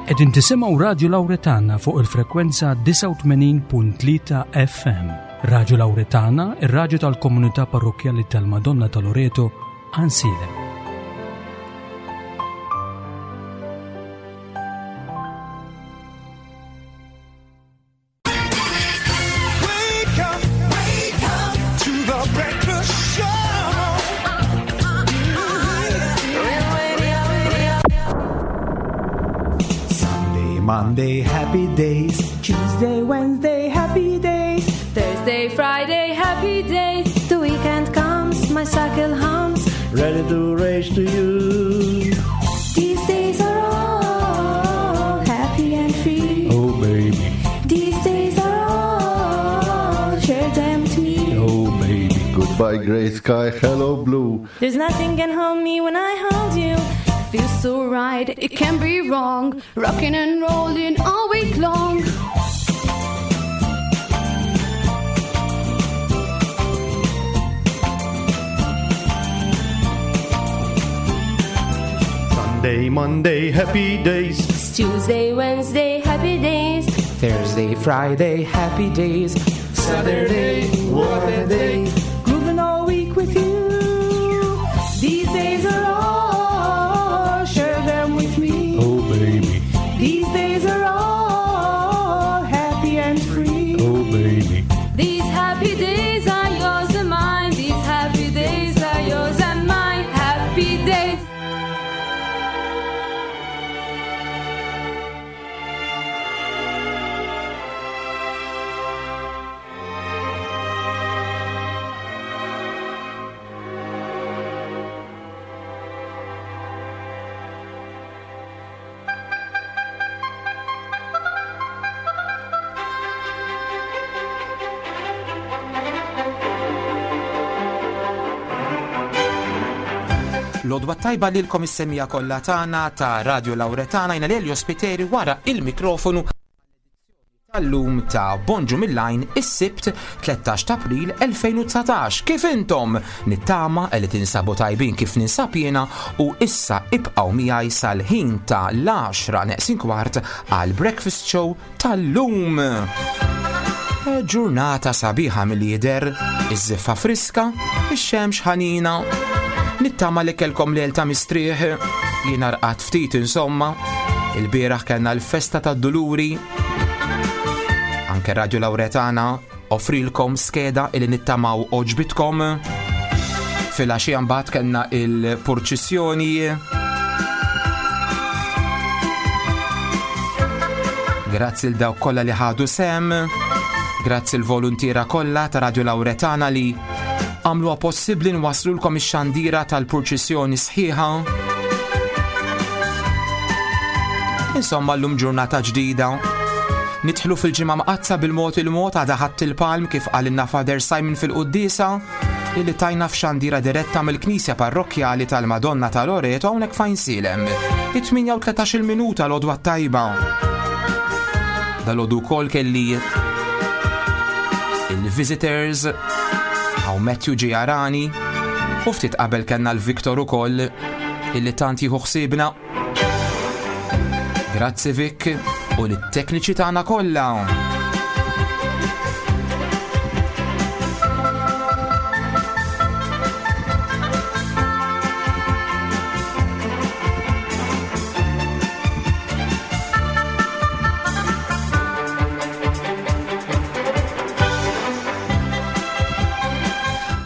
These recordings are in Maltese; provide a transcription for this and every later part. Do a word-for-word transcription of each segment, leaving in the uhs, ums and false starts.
Qegħdin tisimgħu Radio Lauretana fuq il-frekwenza disgħa u tmenin punt tlieta F M. Radio Lauretana, ir-raġu tal-komunità parrokkjali tal-Madonna ta' Loreto, Għajnsielem. Wake up, wake up to the breakfast show. Sunday, Monday, happy days. Tuesday, Wednesday, happy days. Thursday, Friday, happy days. The weekend comes, my cycle hums. Ready to race to you. These days are all happy and free. Oh, baby. These days are all, share them to me. Oh, baby. Goodbye, gray sky, hello, blue. There's nothing can hold me when I hold you. Feels so right, it can't be wrong. Rocking and rolling all week long. Sunday, Monday, happy days. It's Tuesday, Wednesday, happy days. Thursday, Friday, happy days. Saturday, what a day. Grooving all week with you. These days are all, share them with me. Oh, baby. These days are all happy and free. Oh, baby. These happy days are yours and mine. These happy days are yours and mine. Happy days. L-għodwa t-tajba lilkom is-semmiegħa kollha tagħna ta' Radio Lauretana. Jiena Lelio Spiteri wara il-mikrofonu tal-lum ta' Bonġu mill-Għajn, is-Sibt tlettax ta' April elfejn u dsatax. Kif intom? Nittama li tinsabu tajbin kif ninsab jiena u issa ibqgħu miegħi sal-ħin ta' l-għaxra neqsin kwart għal Breakfast Show tal-lum. Ġurnata sabiħa mill-jider, iż-żiffa friska, ix-xemx ħanina. Nittama li kellkom lejl ta' mistrieħ, jiena rqadt ftit insomma. Il-bieraħ kellna l-festa tad-Duluri. Anke Radio Lauretana offrilkom skeda illi nittamaw għoġbitkom. Fil-għaxija mbagħad kellna il-purċissjoni. Grazzi 'l dawk kollha li ħadu sehem. Grazzi l-voluntiera kollha ta' Radio Lauretana li għamluha possibbli nwaslulkom ix-xandira tal-purċissjoni sħiħa. Insomma, llum ġurnata ġdida. Nidħlu fil-Ġimgħa Mqaddsa bil-mod il-mod. Għada Ħadd il-Palm, kif qalilna Father Simon fil-Quddisa illi tajna f'xandira diretta mill-Knisja Parrokkjali tal-Madonna ta' Loreto hawnhekk f'Għajnsielem. It-tmienja u tlettax-il minuta, l-għodwa tajba. Dalgħodu wkoll kelli il-visitors, hawn Matthew ġie jarani u ftit qabel kellna l-Victor ukoll illi tant jieħu ħsiebna. Grazzi, Vic, u lit-tekniċi tagħna kollha.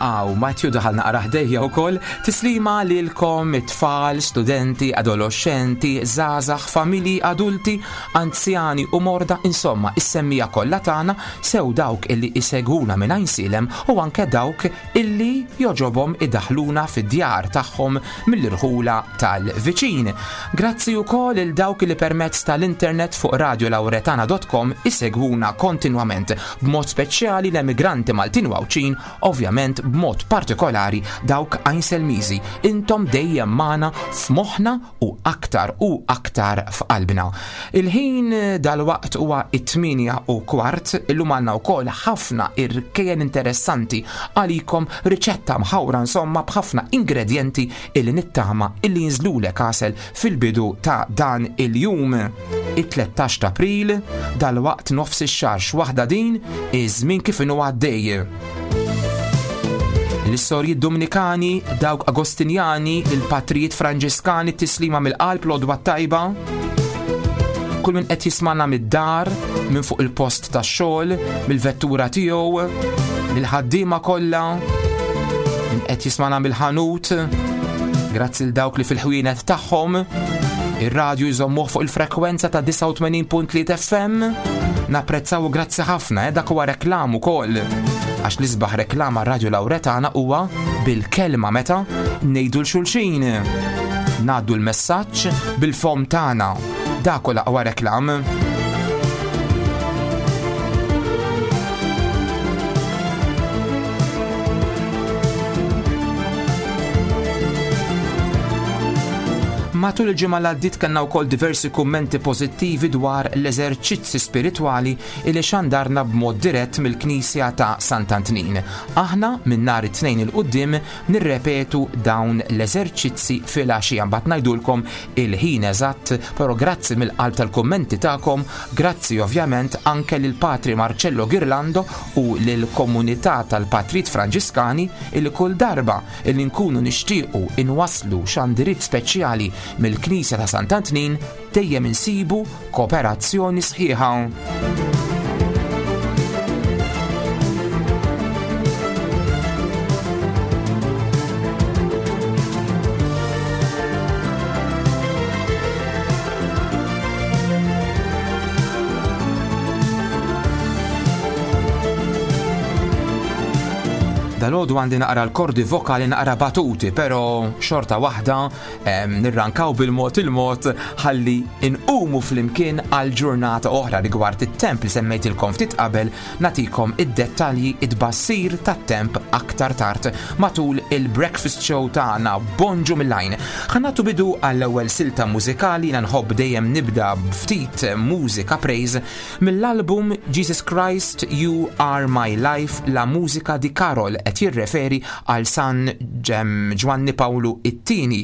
Aw, Matthew daħal naqra ħdejja wkoll. Tislima lilkom it-tfal, studenti, adolescenti, żgħażagħ, familji, adulti, anzjani u morda, insomma, is-semmiegħa kollha tagħna, sew dawk illi isegwuna minn Għajnsielem u anke dawk illi jogħġobhom idaħluna fid-djar tagħhom mill-irħula tal-viċin. Grazzi wkoll il dawk li permezz tal-internet fuq radiolauretana punt com isegwuna kontinwament, b'mod speċjali l-emigranti Maltin u Għawdxin, ovvjament b'mod partikolari dawk Għajnselmiżi. Intom dejjem magħna f'moħħna u aktar u aktar f'qalbna. Il-ħin dal-waqt huwa it-tmienja u kwart. Illum għandna wkoll ħafna irkejjen interessanti għalikom, riċetta Riċetta mħawra insomma b'ħafna ingredjenti illi nittama illi jinżlulek għasel fil-bidu ta' dan il-jum. It-tlettax ta' April, dal-waqt nofs ix-xahar x'waħda din, iż-żmien kif inhu għaddej. L-istorji Dominikani, dawk Agostinjani, il-patrijiet Franġiskani, tislima mill-qalb l-għodwa tajba. Kull min qed jismana mid-dar, minn fuq il-post tax-xogħol, mill-vettura tiegħu, mill-ħaddiema kollha, min qed jismana mill-ħanut, grazzi l dawk li fil-ħwienet tagħhom, ir-radju jżommuh fuq il-frekwenza ta' disgħa u tmenin punt tlieta F M. Napprezzaw u grazzi ħafna, eh, dak huwa reklam ukoll. Għax l-isbaħ reklama Radio Lauretana huwa bil-kelma meta ngħidu l-xulxin. Ngħaddu l-messaġġ bil-fom tagħna. Dak huwa l-aqwa reklam. Matul il-ġimgħa li għaddiet kellna wkoll diversi kummenti pożittivi dwar l-eżerċizzi spiritwali li xandarna b'mod dirett mill-Knisja ta' Sant'Antnin. Aħna minn nhar it-Tnejn il quddiem nirrepetu dawn l-eżerċizzi fil-għaxija, mbagħad ngħidulkom il-ħin eżatt, però grazzi mill-qalb tal-kummenti tagħkom, grazzi ovvjament anke lil Patri Marcello Ghirlando u lill-komunità tal-Patrijiet Franġiskani illi kull darba illi nkunu nixtiequ inwasslu xandirit speċjali mill-Knisja ta' Sant'Antnin dejjem insibu kooperazzjoni sħiħa. Dal-għodu għandi naqra l-kordi vokali naqra batuti, pero xorta waħda, em, nirrankaw bil-mod il-mod ħalli inqumu flimkien għal ġurnata oħra rigward it-temp li semmejtilkom ftit qabel, natikom id-dettalji id-bassir tat-temp aktar tard matul il-breakfast show tagħna Bonġu mill-Għajn. Ħa nagħtu bidu għall-ewwel silta mużikali, jiena nħobb dejjem nibda b'ftit mużika praise mill-album Jesus Christ You Are My Life, la musica di Karol, qed jirreferi għal San Ġem Ġwanni Pawlu it-tieni,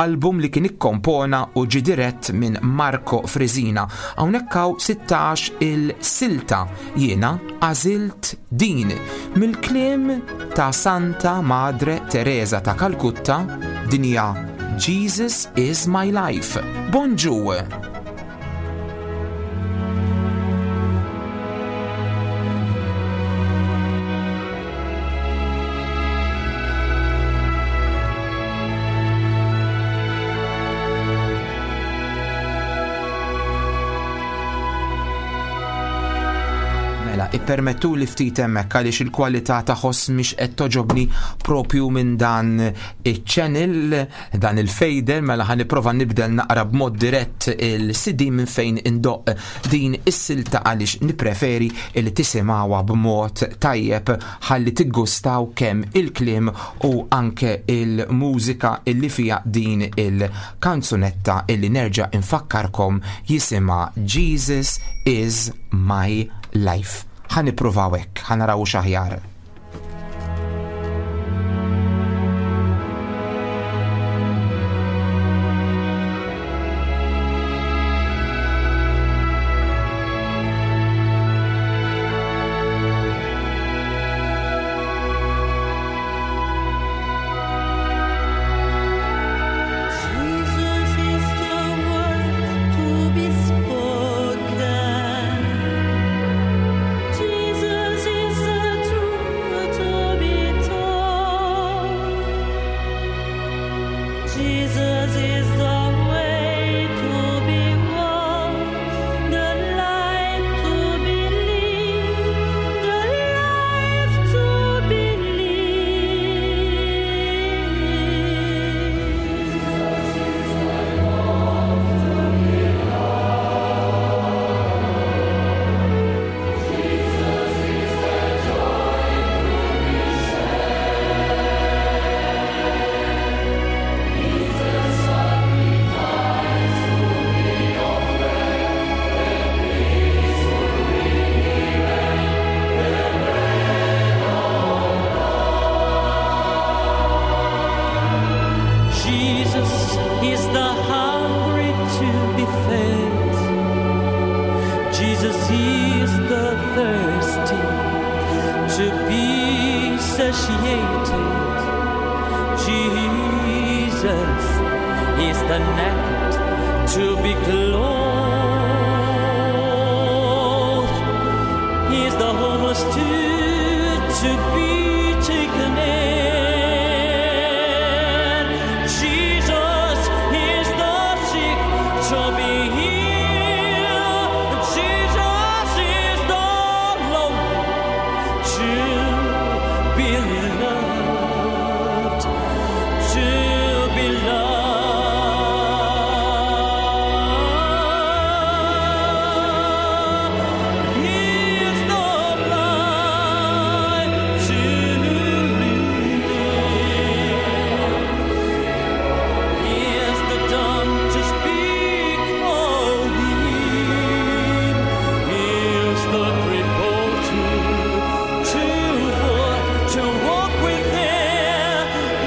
album li kien ikkompona u ġie dirett minn Marco Frisina. Hawnhekk hawn sittax il-silta, jiena għażilt din mill-kliem ta' Santa Madre Teresa ta' Kalkutta, din hija Jesus is my life. Bonġu! Ippermettu li ftit hemmhekk għaliex il-kwalità ta' ħoss mhix qed toġobni propju minn dan iċ-channel, dan il-fader, mela ħa nipprova nibdel naqra b'mod dirett il-C D minn fejn indoq din is-silta għaliex nippreferi li tisimgħuha b'mod tajjeb ħalli tiggustaw kemm il-kliem u anke il-mużika illi fiha din il-kanzunetta illi nerġa' infakkarkom jisimha Jesus is my life. Ħa nippruvaw hekk, ħa naraw x'aħjar. Jesus is the word to be spoken. Jesus is the truth to be told. Jesus is the way to be walked, the light to be lived, the life to be lived. Jesus Jesus is the hungry to be fed. Jesus is the thirsty to be satiated. Jesus is the naked to be clothed. He is the homeless too to be taken in. Jesus is the sick to be healed. Jesus is the lonely to be loved, to be loved. He is the blind to live. He is the dumb to speak for him. He is the crippled to to walk, to walk with him.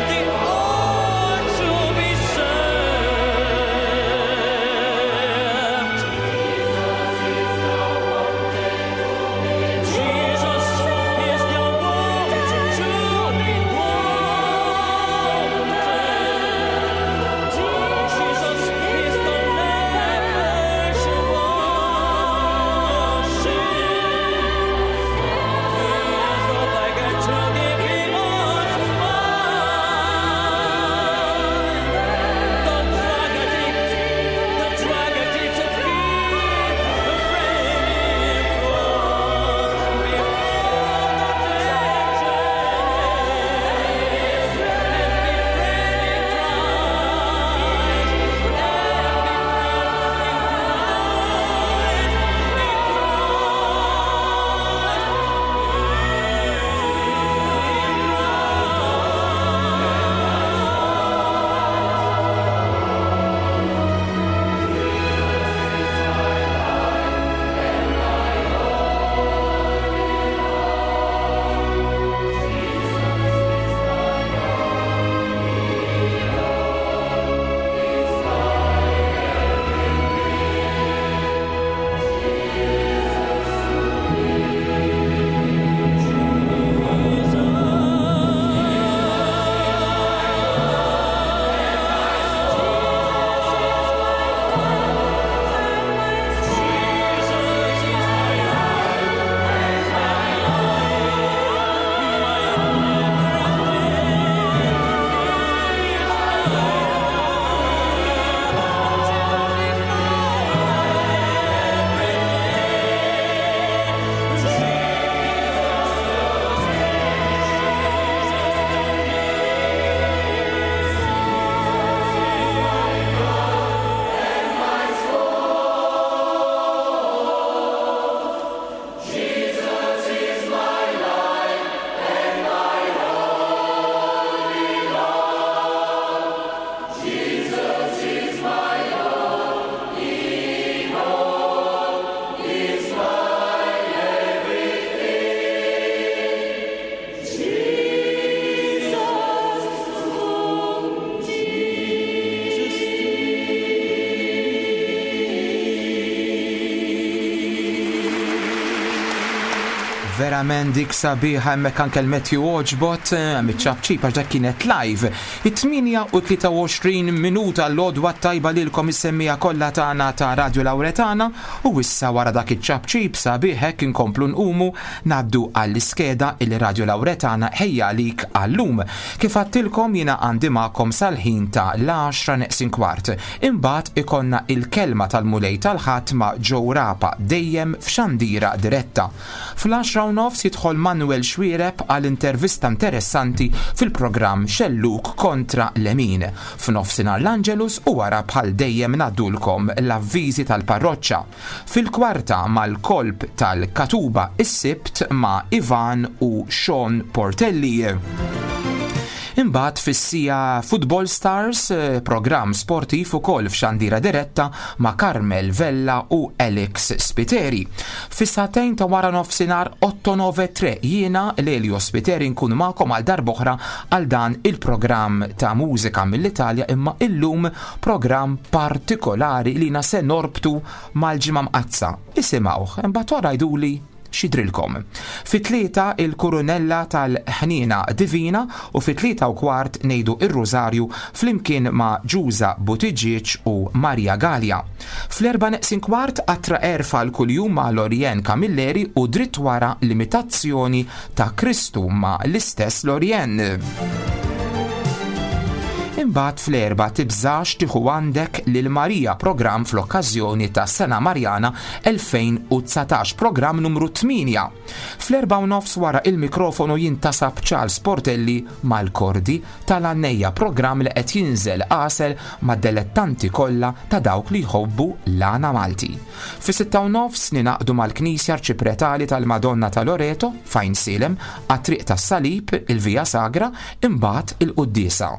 The all to be served. Jesus is the one to be wanted. Jesus is the leper to wash. He is the beggar to give him a smile. The drug addict, the drug addict to feel the friend from before the Verament dik sabiħa hemmhekk anke l-Matthew għoġbot miċ-ċapċip għax dak kienet live. It-tmienja u tlieta u għoxrin minuta, l-għodwa tajba lilkom is-semmiegħa kollha tagħna ta' Radio Lauretana, u issa wara dak iċ-ċapċip sabiħ hekk inkomplu nqumu ngħaddu għall-iskeda il Radio Lauretana ħejja għalik għallum. Kif għedtilkom, jiena għandi magħkom sal-ħin ta' l-għaxra neqsin kwart. Imbagħad ikollna il-kelma tal-Mulej tal-Ħadd ma' Joe Rapa, dejjem f'xandira diretta. Fl-għaxra u nofs jidħol Manuel Xwireb għal intervista interessanti fil-programm Xelluk kontra Lemin. F'nofsinhar l-Angelus u wara bħal dejjem ngħaddulkom l-avviżi tal-parroċċa. Fil-kwarta mal-kolb tal-Katuba, is-Sibt ma' Ivan u Sean Portelli. Imbagħad fis-siegħa Football Stars, eh, programm sportiv ukoll f'xandira diretta ma' Carmel Vella u Alex Spiteri. Fis-sagħtejn ta' wara nofsinhar otto nove tre jiena Lelio Spiteri nkun magħkom għal darb'oħra għal dan il-programm ta' mużika mill-Italja, imma illum programm partikolari li na se norbtu mal-Ġimgħa Mqaddsa. Isimgħuh, imbagħad wara jgħiduli xidrilkom. Fit-tlieta il-Kurunella tal-Ħniena Divina u fit-tlieta u kwart ngħidu ir-Rużarju flimkien ma' Ġuża Buttigieg u Maria Gallia. Fl-erba' neqsin kwart qatra erfa l-kuljum ma' Lorien Camilleri u dritt wara l-imitazzjoni ta' Kristu ma' l-istess Lorien. Imbagħad fl-erba' tibżax tieħu għandek lil Marija, programm fl-okkażjoni ta' Sena Marjana elfejn u dsatax, programm numru tmienja. Fl-erba' u nofs wara il-mikrofonu jintasab Charles Portelli mal-kordi tal-Għannejja, programm li qed jinżel għasel mad-delettanti kollha ta' dawk li jħobbu l-għana Malti. Fis-sitta u nofs ninaqdu mal-Knisja Arċipretali tal-Madonna ta' Loreto fejn Silem għat-triq tas-Salib, il-Via Sagra, imbagħad il-Quddiesa.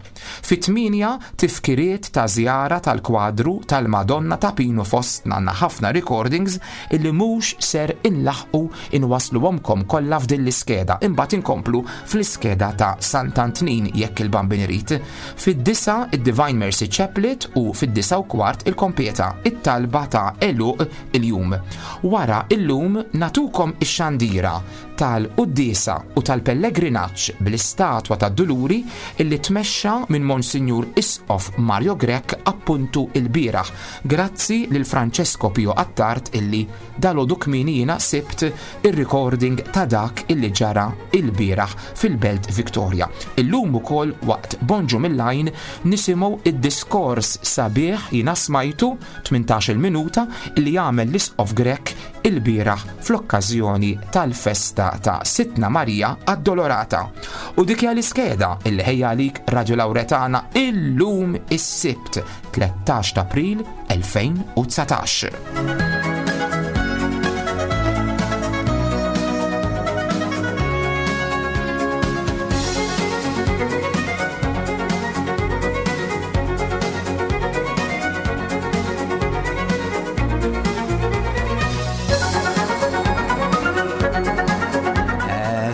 Fit-tmienja tifkiriet ta' żjara tal-kwadru tal-Madonna ta' Pinu fostna għandna ħafna recordings illi mhux ser inlaħqu inwasluhomkom kollha f'din l-iskeda, imbagħad inkomplu fl-iskeda ta' Sant'Antnin jekk il-Bambin irid. Fid-disa id-Divine Mercy Chaplet u fid-disa u kwart il-kompieta, it-talba ta' għeluq il-jum. Wara illum natukom ix-xandira tal-Quddiesa u tal-Pellegrinaġġ bl-istatwa tad-Duluri illi tmexxa minn Monsinjur Isqof Mario Grech appuntu il-bieraħ. Grazzi lil Francesco Pio Attard illi dalodu kmieni jiena sibt ir-recording ta' dak illi ġara il-bieraħ fil-Belt Victoria. Illum ukoll waqt Bonġu mill-Għajn nisimgħu id-diskors sabiħ jiena smajtu tmintax-il minuta illi jagħmel l-Isqof Grech il-bieraħ fl-okkażjoni tal-festa ta' Sidtna Marija Addolorata. U dik hija l-iskeda illi ħejja għalik Radio Lauretana illum is-Sibt tlettax ta' April elfejn u dsatax.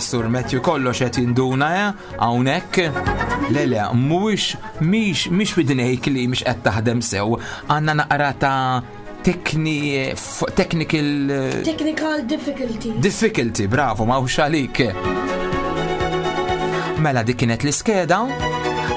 Sur Matthew kollox qed jinduna, eh? Hawnhekk. Le, le, mhuwiex, mhix, mhix f'idnejk li mhix qed taħdem sew. Għandna naqra ta' tekni, f-, technical, eh, Technical difficulty. Difficulty, bravo, ma hux għalik. Mela dik kienet l-iskeda.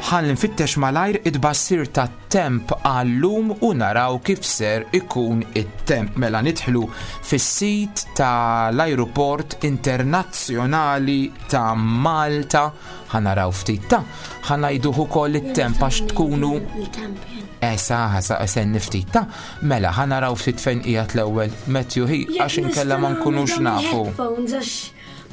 Ħalli nfittex malajr id-bassir ta' temp għallum u naraw kif ser ikun it-temp. Mela nidħlu fis-sit tal-Ajruport Internazzjonali ta' Malta. Ħa naraw ftit ta' ħa ngħiduh ukoll it-temp għax tkunu Il-temp, jien. Eh, sa, sa, sen niftit ta' mela ħa naraw ftit fejn qiegħed l-ewwel Matthew hi Jekk għax inkella ma nista' nkunux nagħmel nafu. headphones għax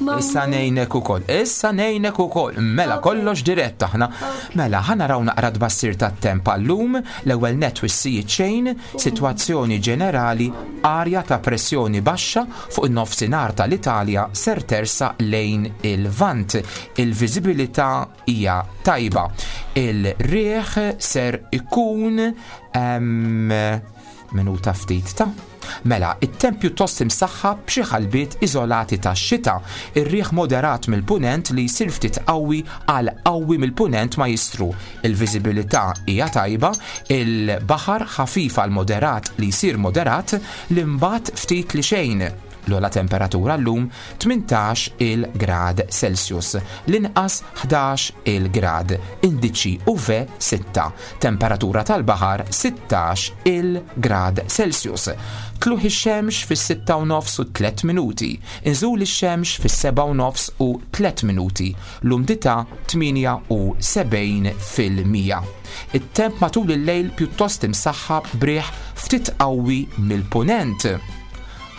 ma Issa ngħinek ukoll, issa ngħinek ukoll. Mela Ok. kollox dirett aħna. Ok. Mela ħa naraw naqra tbassir tat-temp għallum, l-ewwel net wissijiet xejn, sitwazzjoni ġenerali, arja ta' pressjoni baxxa fuq in-nofsinhar tal-Italja ser tersa lejn il-Vant. Il-viżibilità hija tajba. Il-riħ ser ikun, em, minuta ftit ta' Mela, it-temp pjuttost imsaħħab b'xi ħalbiet iżolati tax-xita, ir-riħ moderat mill-punent li jsir ftit qawwi għal qawwi mill-punent ma jistru. Il-viżibilità hija tajba, il-baħar ħafif għal moderat li jsir moderat, l-imbagħad ftit li xejn. L-ogħla temperatura llum tmintax il-grad Celsius, l-inqas ħdax il-grad, indiċi U V sitta, temperatura tal-baħar sittax il-grad Celsius. Tluħ ix-xemx fis-sitta u nofs u tliet minuti, inżul ix-xemx fis-seba' u nofs u tliet minuti, l-umdità tmienja u sebgħin fil-mija. It-temp matul il-lejl pjuttost imsaħħab briħ ftit qawwi mill-punent.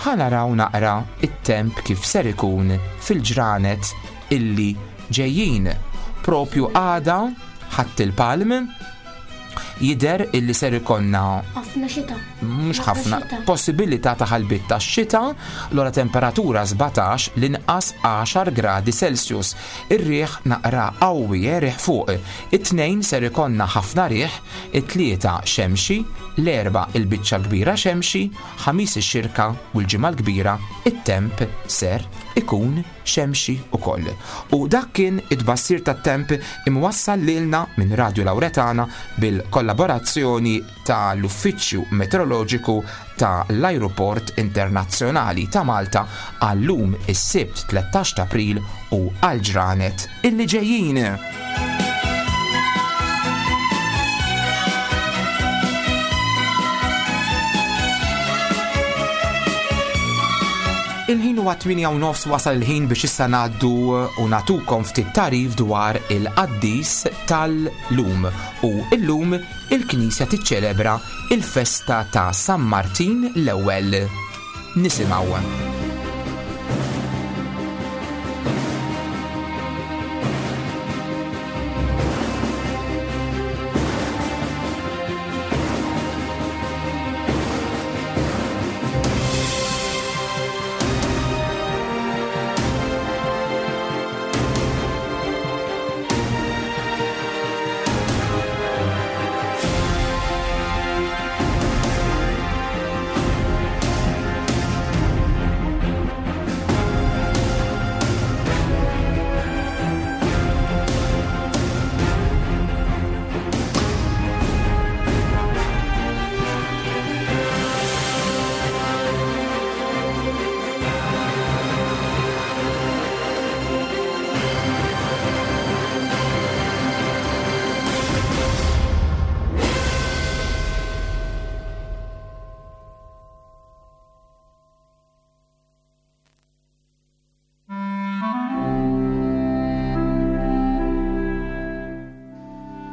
Ħa naraw naqra it-temp kif ser ikun fil-ġranet illi ġejjin. Propju għada Ħadd il-Palm, Jidher illi ser ikollna Ħafna xita. mhux ħafna xita. possibilità ta' ħalbit ta' xita, l-ora temperatura sbatax l-inqas għaxar gradi Celsius. Ir-riħ naqra qawwi, eh, riħ fuq. It-tnejn ser ikollna ħafna riħ, it-tlieta xemxi, l-erba' il-biċċa kbira xemxi, ħamis ix-xirka u l-ġimgħa l-kbira it-temp ser ikun xemxi ukoll. U dak kien it-tbassir tat-temp imwassal lilna minn Radio Lauretana bil-kollaborazzjoni tal-Uffiċċju Meteoroloġiku tal-Ajruport Internazzjonali ta' Malta għallum is-Sibt tlettax ta' April u għal-ġranet illi ġejjin. Il-ħin huwa tmienja u nofs, wasal il-ħin biex issa ngħaddu u natukom ftit tarif dwar il-qaddis tal-lum. U illum il-Knisja tiċċelebra il-festa ta' San Martin l-ewwel. Nisimgħu.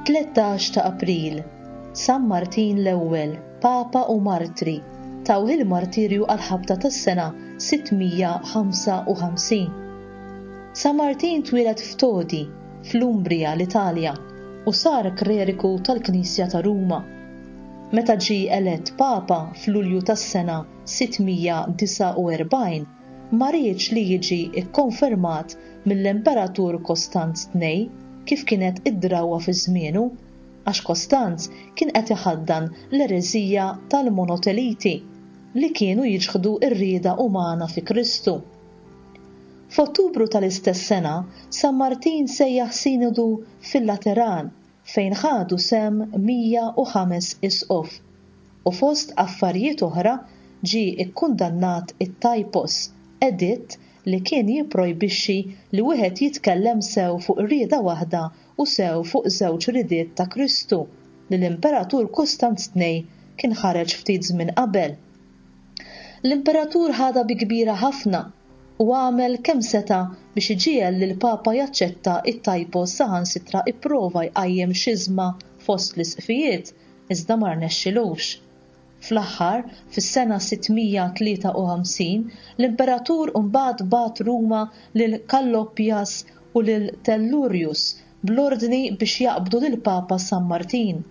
Tlettax ta' April, San Martin l-ewwel, Papa u Martri, taw il-martirju għal-ħabta tas-sena sittmija ħamsa u ħamsin. San Martin twieled f'Todi, fl-Umbria, l-Italja, u sar kleriku tal-Knisja ta' Ruma. Meta ġie elett Papa f'Lulju tas-sena sittmija disgħa u erbgħin, ma riedx li jiġi kkonfermat mill-Imperatur Kostanz tnejn kif kienet id-drawwa fi żmienu, għax Kostanz kien qed iħaddan l-ereżija tal-monoteliti li kienu jiġħdu r-rieda umana fi Kristu. F'Ottubru tal-istess sena, San Martin sejjaħ sinodu fil-Lateran fejn ħadu sem mija u ħames isqof u fost affarijiet oħra ġie ikkundannat it-Typos, editt li kien jipprojbixxi li wieħed jitkellem sew fuq rieda waħda u sew fuq żewġ ridiet ta' Kristu li l-Imperatur Kostanz tnejn kien ħareġ ftit żmien qabel. L-Imperatur ħadha bi kbira ħafna u għamel kemm seta' biex iġiegħel lil Papa jaċċetta it-Typos saħansitra ipprova jqajjem xiżma fost l-isqfijiet iżda ma rnexxilux. Fl-aħħar, fis-sena sittmija tlieta u ħamsin, l-Imperatur mbagħad bagħat Ruma lil Kallopjas u lil Tellurius bl-ordni biex jaqbdu lil Papa San Martin.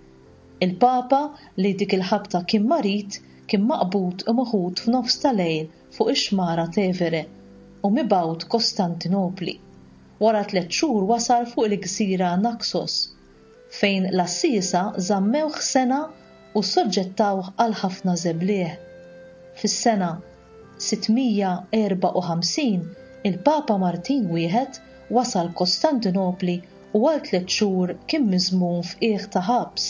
Il-Papa, li dik il-ħabta kien marid, kien maqbud u meħud f'nofs ta' lejl fuq ix-xmara Tevere u mibgħut Kostantinopli. Wara tliet xhur wasal fuq il-gżira Naxos, fejn l-assisa żammewh sena u soġġettawh għal ħafna żeblieh. Fis-sena sittmija erba' u ħamsin, il-Papa Martin wieħed wasal Kostantinopli u għal tliet xhur kien miżmum f'qiegħ ta' ħabs.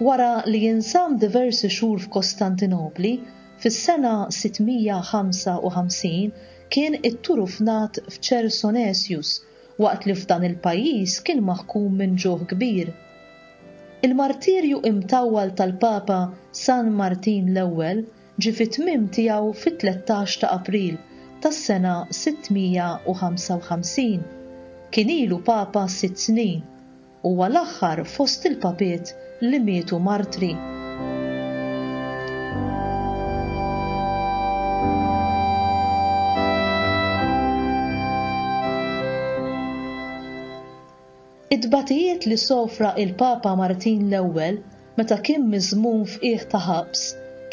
Wara li jinsam diversi xhur f'Kostantinopli, fis-sena sittmija ħamsa u ħamsin kien itturufnat f'Chersonesius waqt li f'dan il-pajjiż kien maħkum minn ġuħ kbir. Il-martirju imtawwal tal-Papa San Martin l-ewwel ġie fit-tmiem tiegħu fit-tlettax ta' April tas-sena sittmija u ħamsa u ħamsin. Kien ilu Papa sitt snin huwa l-aħħar fost il-papiet li mietu martri. It-tbatijiet li sofra il-Papa Martin l-Ewwel meta kien miżmum f'qiegħ ta' ħabs,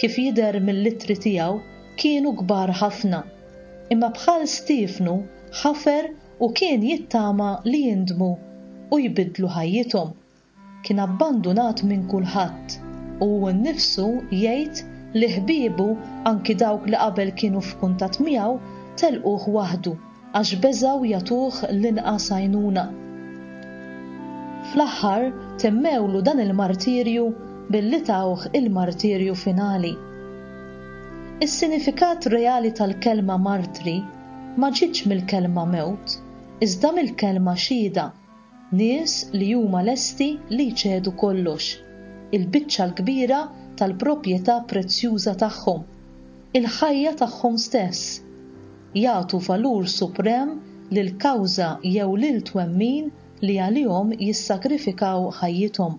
kif jidher mill-ittri tiegħu, kienu kbar ħafna. Imma bħal Stiefnu ħafer u kien jittama li jindmu u jbiddlu ħajjithom. Kien abbandunat minn kulħadd u hu nnifsu jgħid li ħbiebu, anki dawk li qabel kienu f'kuntatt miegħu, telquh waħdu għax beżgħu jagħtuh l-inqas għajnuna. Fl-aħħar temmewlu dan il-martirju billi tawh il-martirju finali. Is-sinifikat reali tal-kelma martri ma ġietx mill-kelma mewt, iżda mill-kelma xhieda, nies li huma lesti li jċedu kollox, il-biċċa l-kbira tal-proprjetà prezzjuża tagħhom, il-ħajja tagħhom stess. Jagħtu valur suprem lil kawża jew lil twemmin li għalihom jissagrifikaw ħajjithom.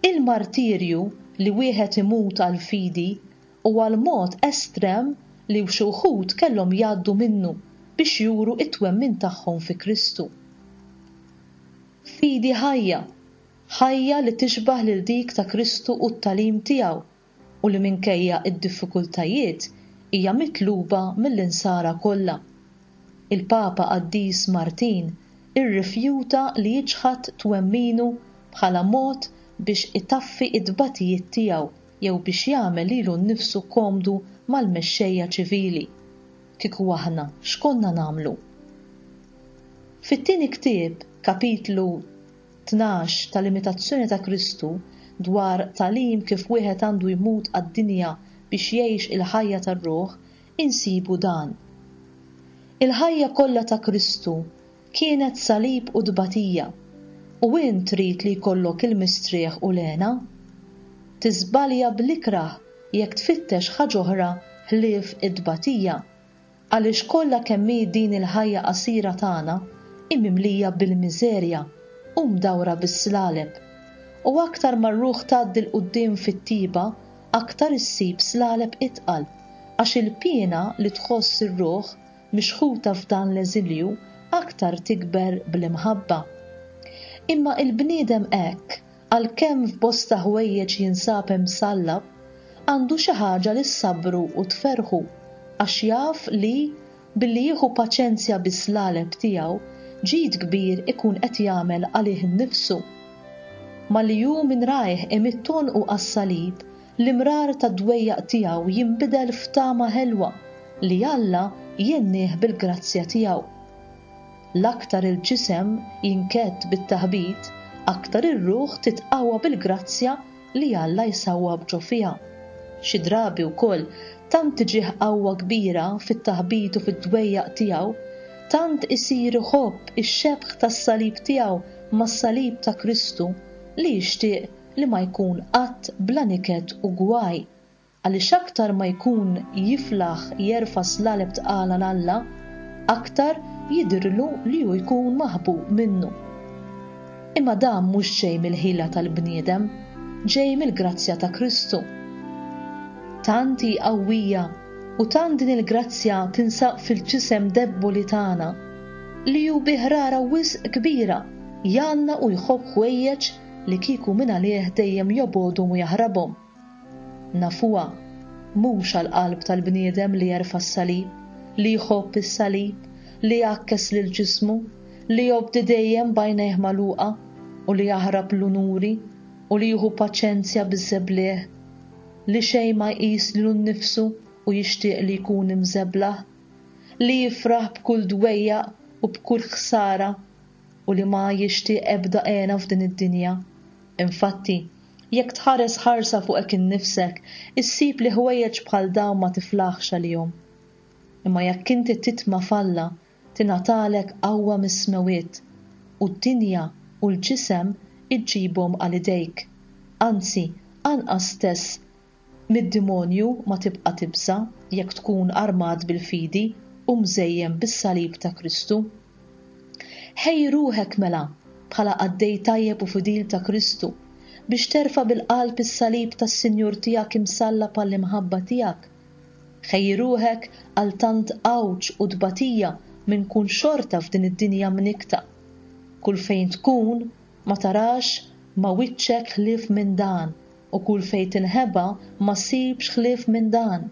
Il-martirju li wieħed imut għal fidi huwa l-mod estrem li xi wħud kellhom jgħaddu minnu biex juru t-twemmin tagħhom fi Kristu. Fidi ħajja, ħajja li tixbah lil dik ta' Kristu u t-tagħlim tiegħu u li minkejja d-diffikultajiet hija mitluba mill-insara kollha. Il-Papa Qaddis Martin irrifjuta li jiċħad twemminu bħala mod biex itaffi t-tbatijiet tiegħu jew biex jagħmel lilu nnifsu komdu mal-mexxejja ċivili. Kieku aħna x'konna nagħmlu? Fit-tieni ktieb, kapitlu tnax tal-Imitazzjoni ta' Kristu, dwar tagħlim kif wieħed għandu jmut għad-dinja biex jgħix il-ħajja tar-ruħ, insibu dan. Il-ħajja kollha ta' Kristu kienet salib u tbatija, u int trid li jkollok il-mistrieħ u l-hena? Tiżbalja bl-ikrah jekk tfittex ħaġa oħra ħlief it-tbatija, għaliex kollha kemm hi din il-ħajja qasira tagħna hi mimlija bil-miżerja u mdawra bis-slaleb. U aktar ma r-ruħ tgħaddi 'l quddiem fit-tiba, aktar issib slaleb itqal, għax il-piena li tħoss ir-ruħ mixħuta f'dan l-eżilju aktar tikber bl-imħabba. Imma il-bniedem hekk, għalkemm f'bosta ħwejjeġ jinsab imsallab, għandu xi ħaġa li ssabru u tferrħu, għax jaf li, billi jieħu paċenzja bis-slaleb tiegħu, ġid kbir ikun qed jagħmel għalih innifsu. Malli hu minn rajh imidd għonqu għas-salib, l-imrar tad-dwejjaq tiegħu jinbidel f'tama ħelwa li Alla jennih bil-grazzja tiegħu. L-aktar il-ġisem jinkedd bit-taħbit, aktar ir-ruħ titqawwa bil-grazzja li Alla jsawwab ġo fiha. Xi drabi wkoll tant tiġih qawwa kbira fit-taħbit u fid-dwejjaq tiegħu, tant isir iħobb ix-xebh tas-salib tiegħu mas-salib ta' Kristu li jixtieq li ma jkun qatt bla niket u gwaj, għaliex aktar ma jkun jiflaħ jerfa' slaleb tqal għal Alla, aktar jidhirlu li hu jkun maħbub minnu. Imma dan mhux ġej mill-ħila tal-bniedem, ġej mill-grazzja ta' Kristu. Tant hi qawwija u tant din il-grazzja tinsab fil-ġisem debboli tagħna li hu bi ħrara wisq kbira jgħanna u jħobb ħwejjeġ li kieku minn għalih dejjem jobgħodhom u jaħrabhom. Nafuha, mhux għall-qalb tal-bniedem li jerfa' s-salib, li jħobb is-salib, li jgħakkes lil ġismu, li jobdi dejjem b'għajnejh magħluqa u li jaħrab l-unuri u li jieħu paċenzja biż-żeblieh, li xejn ma jqis lilu nnifsu u jixtieq li jkun imżeblaħ, li jifraħ b'kull dwejjaq u b'kull ħsara u li ma jixtieq ebda hena f'din id-dinja. Infatti, jekk tħares ħarsa fuqek innifsek, issib li ħwejjeġ bħal dawn ma tiflaħx għalihom. Imma jekk inti titma' f'Alla, tingħatalek qawwa mis-smewwiet, u d-dinja u l-ġisem iġġibhom għal idejk. Anzi, anqas stess mid-dimonju ma tibqa' tibża' jekk tkun armat bil-fidi u mżejjen bis-salib ta' Kristu. Ħejji ruħek mela bħala qaddej tajjeb u fidil ta' Kristu biex terfa' bil-qalb is-salib tas-Sinjur tiegħek imsallab għall-imħabba tiegħek. Ħejji ruħek għal tant għawġ u tbatija minn kull xorta f'din id-dinja mnikta. Kull fejn tkun ma tarax ma wiċċek ħlief minn dan, u kull fejn tinħeba ma ssibx ħlief minn dan.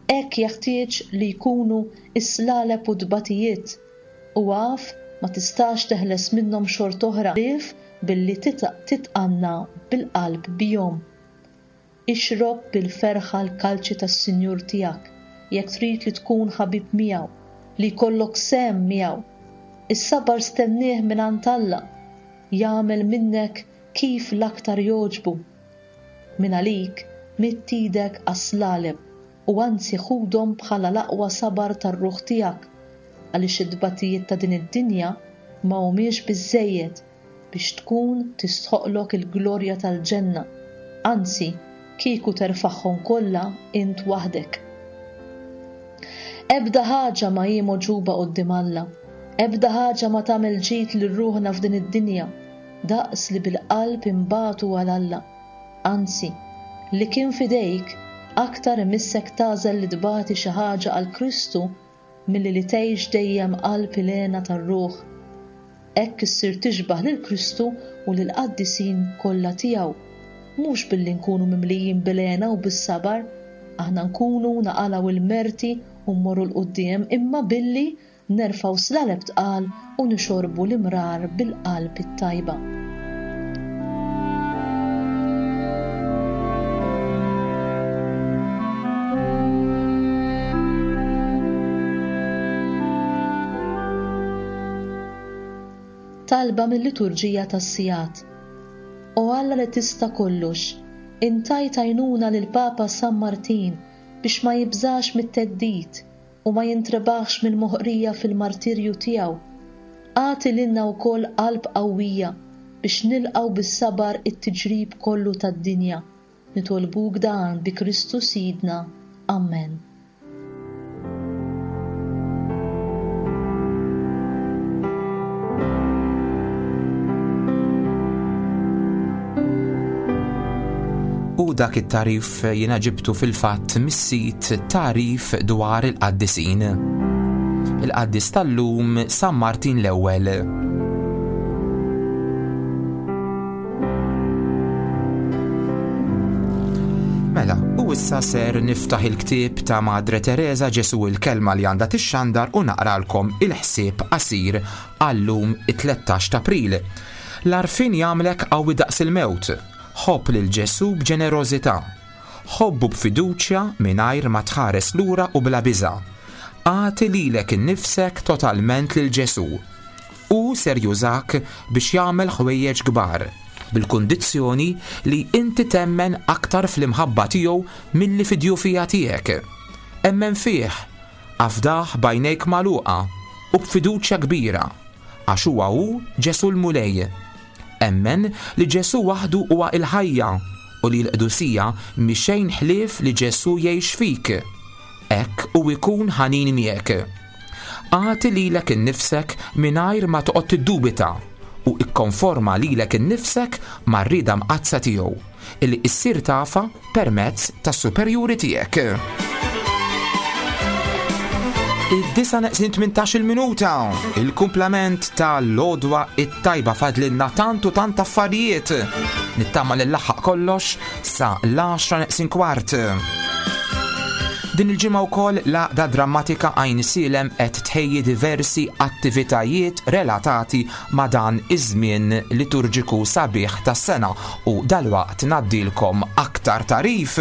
Hekk jeħtieġ li jkunu is-slaleb u tbatijiet, u għaf ma tistax teħles minnhom xort'oħra ħlief billi titqanna bil-qalb bihom. Ixrob bil-ferħa l-kalċi tas-Sinjur tiegħek, jekk trid li tkun ħabib miegħu, li jkollok sehem miegħu. Is-sabar stennieh mingħand Alla, jagħmel minnek kif l-aktar jogħġbu. Min għalik midd idek għas-slaleb u anzi ħudhom bħala l-aqwa sabar tar-ruħ tiegħek, għaliex it-tbatijiet ta' din id-dinja ma humiex biżżejjed biex tkun tistħoqlok il-glorja tal-ġenna, anzi kieku terfagħhom kollha int waħdek. Ebda ħaġa ma hi mogħġuba quddiem Alla, ebda ħaġa ma tagħmel ġid lil ruħna f'din id-dinja, daqs li bil-qalb imbatu għal Alla. Anzi, li kien fidejk aktar imissek tagħżel li tbati xi ħaġa għal Kristu milli li tgħix dejjem qalb il-hena tar-ruħ. Hekk issir tixbah lil Kristu u lil qaddisin kollha tiegħu. Mhux billi nkunu mimlijin bil-hena u bis-sabar, aħna nkunu naqalgħu il-merti u mmorru 'l quddiem, imma billi nerfgħu slaleb tqal u nixorbu l-imrar bil-qalb it-tajba. Talba mill-liturġija tas-sigħat. O Alla li tista' kollox, intajt għajnuna lil Papa San Martin biex ma jibżax mit-theddid u ma jintrebaħx mill-moħqrija fil-martirju tiegħu. Agħti lilna wkoll qalb qawwija biex nilqgħu bis-sabar it-tiġrib kollu tad-dinja. Nitolbuk dan bi Kristu Sidna. Amen. U dak it-tarif jiena ġibtu fil-fatt mis-sit Tarif dwar il-Qaddisin. Il-Qaddis tal-lum San Martin l-Ewwel. Mela, u issa ser niftaħ il-ktieb ta' Madre Teresa Ġesu il-kelma li għandha tixxandar u naqralkom il-ħsieb qasir għallum it-tlettax ta' April. L-għarfien jagħmlek qawwi daqs il-mewt. Ħobb lil Ġesu b'ġenerożità. Ħobbu b'fiduċja mingħajr ma tħares lura u bla biża'. Agħti lilek innifsek totalment lil Ġesu. Hu ser jużak biex jagħmel ħwejjeġ kbar, bil-kundizzjoni li inti temmen aktar fl-imħabba tiegħu milli fid-djufija tiegħek. Emmen fih, afdah b'għajnejk magħluqa u b'fiduċja kbira, għax huwa hu Ġesu l-Mulej. Emmen li Ġesu waħdu huwa il-ħajja u li l-qdusija mhi xejn ħlief li Ġesu jgħix fik. Hekk u jkun ħanin miegħek. Agħti lilek innifsek mingħajr ma toqgħod tiddubita u ikkonforma lilek innifsek mar-rieda mqaddsa tiegħu illi issir tafa permezz tas-superjuri tiegħek. Id-disa neqsin tmintax-il minuta, il-kumplament tal-għodwa it-tajba fadlilna tant u tant affarijiet. Nittama li laħaq kollox sa l-għaxra neqsin kwart. Din il-ġimgħa wkoll l-Għaqda Drammatika Għajn Sielem qed tħejji diversi attivitajiet relatati ma' dan iż-żmien liturġiku sabiħ tas-sena u dalwaqt ngħaddilkom aktar tarif.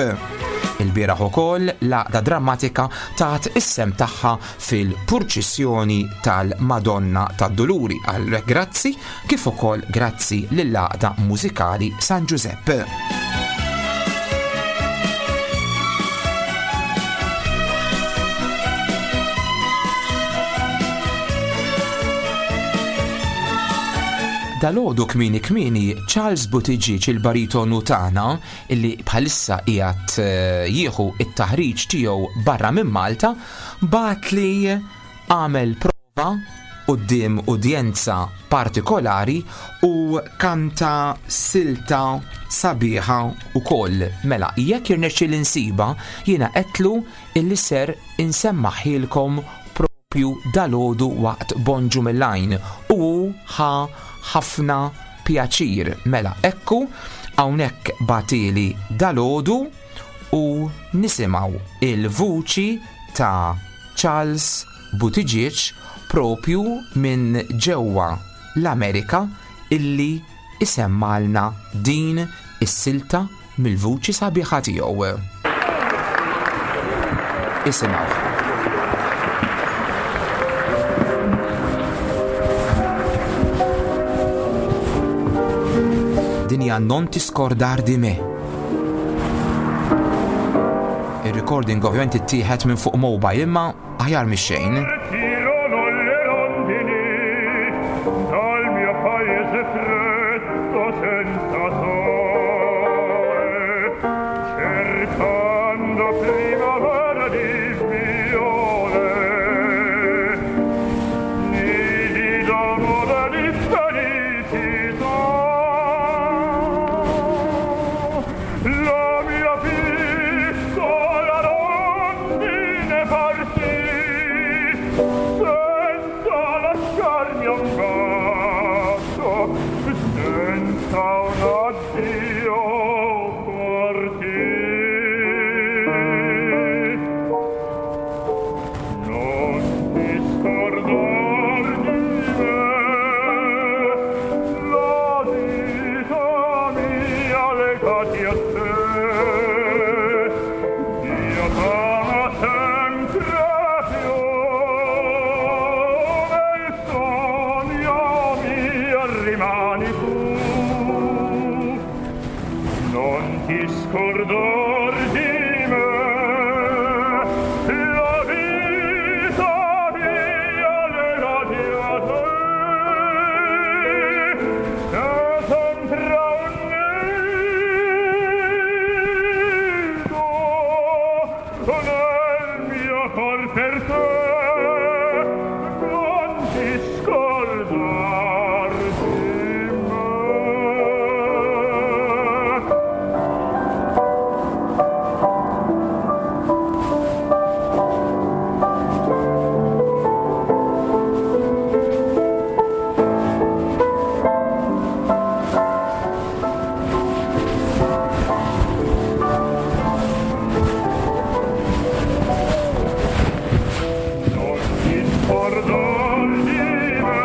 Il-bieraħ ukoll l-Għaqda Drammatika tat is-sem tagħha fil-purċissjoni tal-Madonna tad-Duluri. Għal grazzi kif ukoll grazzi lill-Għaqda Mużikali San Giuseppe. Dalgħodu kmieni kmieni Charles Buttigieg il-baritonu tagħna illi bħalissa qiegħed, eh, jieħu it-taħriġ tiegħu barra minn Malta bagħat li għamel prova quddiem udjenza partikolari u kanta silta sabiħa ukoll. Mela, jekk jirnexxieli nsiba, jiena qedtlu illi ser insemmaħilkom propju propju dalodu waqt Bonġu mill-Għajn u ħa ħafna pjaċir. Mela, ekku hawnhekk batili dalodu u nisimgħu il-vuċi ta' Charles Buttigieg propju minn ġewwa l-Amerika illi isemmalna din is-silta mill-vuċi sabiħa tiegħu. Isimgħu. Din hija Non ti scordar di me. Il-recording ovvjament ittieħed minn fuq mobile imma aħjar mix-xejn. Partirono le rondini dal mio paese freddo senza sole, cercando primavera di viole, nidi d'amore di felicità. La mia piccola rondine partì senza lasciarmi un bacio, senza un addio partì. Non ti scordar di me, la vita mia legati a te. Dio t'ama sempre più, nel sogno mio rimani tu. Non ti scordar di me, la vita mia legati a te. C'è sempre un nido nel mio cor per te. Non ti scordar di me. Non ti scordar di me,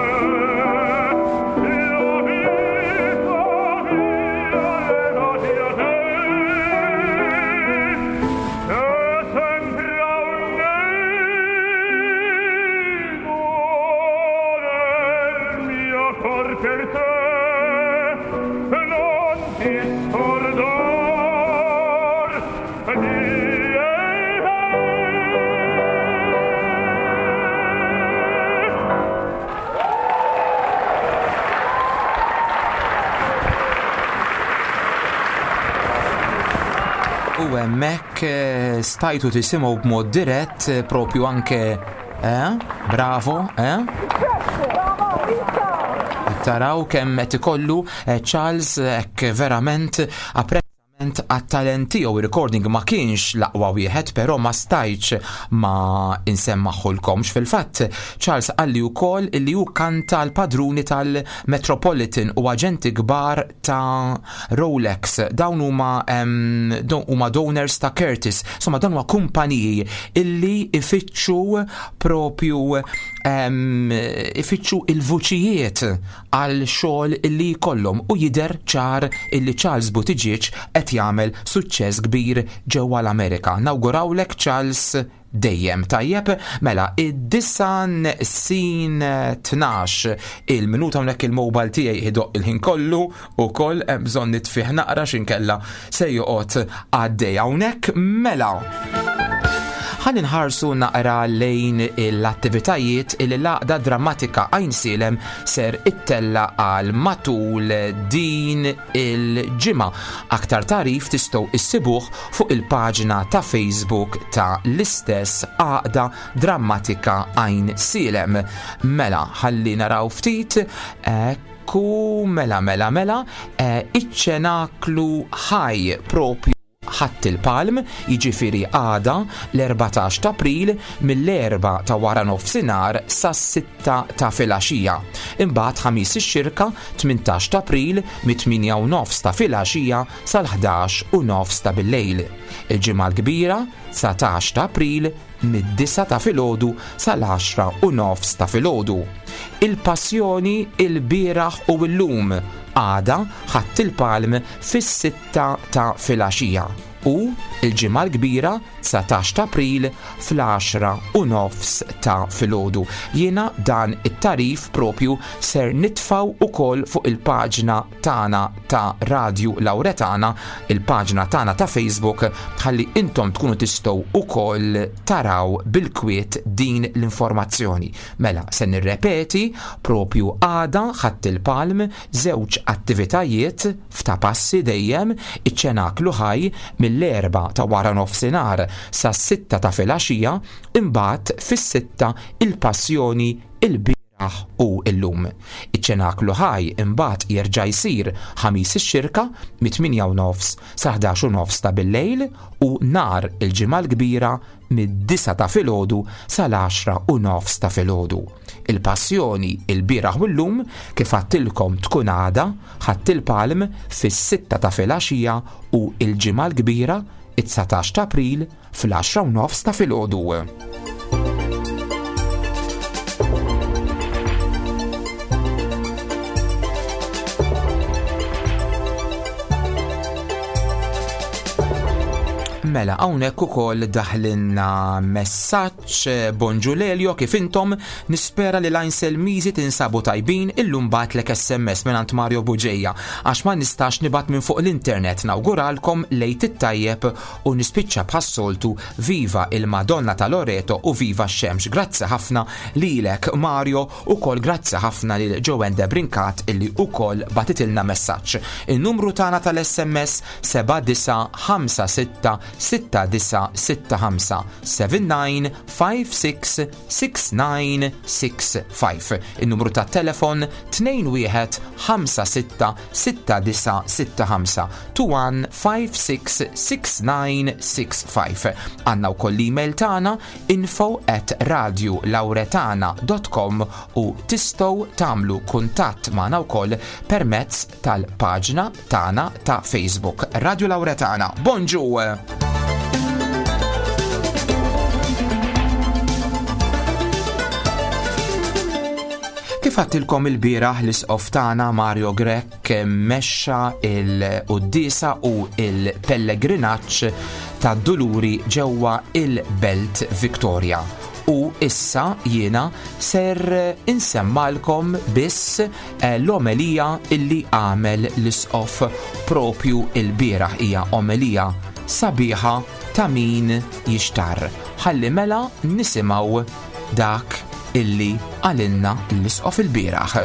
la vita mia legati a te. C'è sempre un nido nel mio cor per te. Non ti scordar di me. U hemmhekk eh, stajtu tisimgħu b'mod dirett eh, propju anke eh? Bravo, eh? Taraw kemm qed ikollu eh, Charles hekk verament apprezzament għat-talent tiegħu. Ir-recording ma kienx l-aqwa wieħed, però ma stajtx ma insemmaħulkomx. Fil-fatt Charles qalli wkoll illi hu kanta l-padruni tal-Metropolitan u aġenti kbar ta' Rolex. Dawn huma em, dawn huma donors ta' Curtis. Insomma dawn huma kumpaniji illi ifittxu propju em, ifittxu il-vuċijiet għal xogħol illi jkollhom u jidher ċar illi Charles Buttigieg qed jagħmel suċċess kbir ġewwa l-Amerika. Nawgurawlek Charles dejjem tajjeb. Mela id-disa sin tnax il-minuta hawnhekk il-mobile tiegħi idoq il-ħin kollu ukoll hemm bżonn nitfih naqra x'inkella se joqgħod għaddej hawnhekk. Mela ħalli nħarsu naqra lejn l-attivitajiet li l-Għaqda Drammatika Għajnsielem ser ittella għal matul din il-ġimgħa. Aktar tarif tistgħu issibuh fuq il-paġna ta' Facebook ta' l-istess Għaqda Drammatika Għajnsielem. Mela ħalli naraw ftit, ekku, mela, mela, mela, eh, iċ-ċenaklu ħaj propju Ħadd il-Palm, jiġifieri għada l-erbatax ta' April mill-erba ta' wara nofsinhar sas-sitta ta' filgħaxija. Imbagħad Ħamis ix-Xirka tmintax ta' April mit-tmienja u nofs ta' filgħaxija sal-ħdax u nofs ta' billejl. Il-Ġimgħa l-Kbira dsatax ta' April mid-disa ta' filgħodu sal-għaxra u nofs ta' filgħodu. Il-Passjoni il-bieraħ u llum għada Ħadd il-Palm fis-sitta ta' filgħaxija u il-Ġimgħa l-Kbira dsatax ta' April fl-għaxra u nofs ta' filgħodu. Jiena dan it-tarif propju ser nitfaw ukoll fuq il-paġna tagħna ta' Radju Lauretana, il-paġna tagħna ta' Facebook, ħalli intom tkunu tistgħu ukoll taraw bil-kwiet din l-informazzjoni. Mela, se nirrepeti propju għada Ħadd il-Palm żewġ attivitajiet f'ta' passi dejjem, iċ-ċenaklu ħaj mill-erba ta' wara nofsinhar sas-sitta ta' filgħaxija, imbagħad fis-sitta il-Passjoni il-bieraħ u llum. Iċ-ċenaklu ħaj imbagħad jerġa' jsir Ħamis ix-Xirka mit-tmienja u nofs sa ħdax u nofs ta' billejl u nhar il-Ġimgħa l-Kbira mid-disa ta' filgħodu sal-għaxra u nofs ta' filgħodu. Il-Passjoni il-bieraħ u llum kif għattilkom tkun għada Ħadd il-Palm fis-sitta ta' filgħaxija u l-Ġimgħa l-Kbira it-dsatax ta' April fl-għaxra u nofs ta' filgħodu. Mela, hawnhekk ukoll daħlinna messaġġ. Bonġu Lelio, kif intom? Nispera li lajn Selmizi tinsabu tajbin. Illum batlek S M S mingħand Mario Buġeja għax ma nistax nibgħat minn fuq l-internet. Nawguralkom lejt it-tajjeb u nispiċċa bħas-soltu viva il-Madonna ta' Loreto u viva x-xemx. Grazzi ħafna lilek Mario, ukoll grazzi ħafna lil Joanne Debrincat illi ukoll batitilna messaġġ. Il-numru tagħna tal-S M S seba' disa' ħamsa sitta sitta disa' sitta ħamsa, seven nine five six six nine six five. Il-numru ta' telefon tnejn wieħed ħamsa sitta sitta disa' sitta ħamsa, two one five six six nine six five. Għandna wkoll l-email tagħna info at radio lauretana dot com u tistgħu tagħmlu kuntatt magħna wkoll permezz tal-paġna tagħna ta' Facebook Radio Lauretana. Bonġu! Kif għattilkom il-bieraħ l-isqof tagħna Mario Grech mexxa il-quddiesa u il-pellegrinaġġ tad-Duluri ġewwa il-Belt Victoria. U issa jiena ser insemmalkom biss, eh, l-omelija illi għamel l-isqof propju il-bieraħ. Hija omelija sabiħa ta' min jixtar. Ħalli mela nisimgħu dak illi għalinna l-isqof il-bieraħ.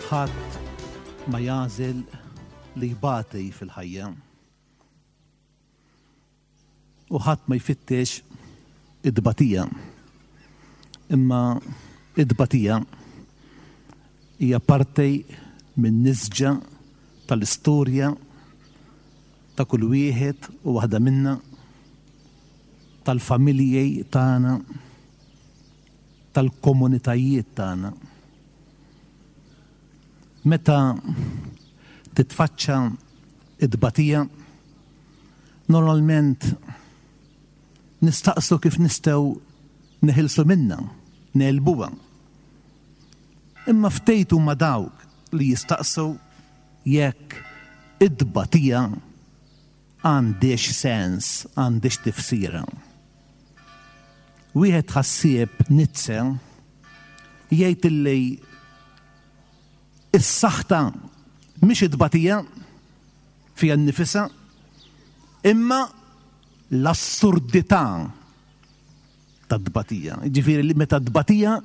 Ħadd ma jażel li jbati fil-ħajja. U ħadd ma jfittex id-tbatija. Imma id-tbatija hija parti minn nisġa tal-istorja ta' kull wieħed u waħda minna, tal-familji tagħna, tal-komunitajiet tagħna. Meta titfaċċa id-tbatija, normalment nistaqsu kif nistgħu neħilsu minna, negħlbuha. Imma ftejtu ma' dawk li jistaqsu jekk id-tbatija għandix sens, għandix tifsira. Wieħed ħassieb Nietzsche jgħid illi is-saħta mhix it-tbatija fiha nnifisha, imma l-assurdità tat-tbatija. Jiġifieri li meta t-tbatija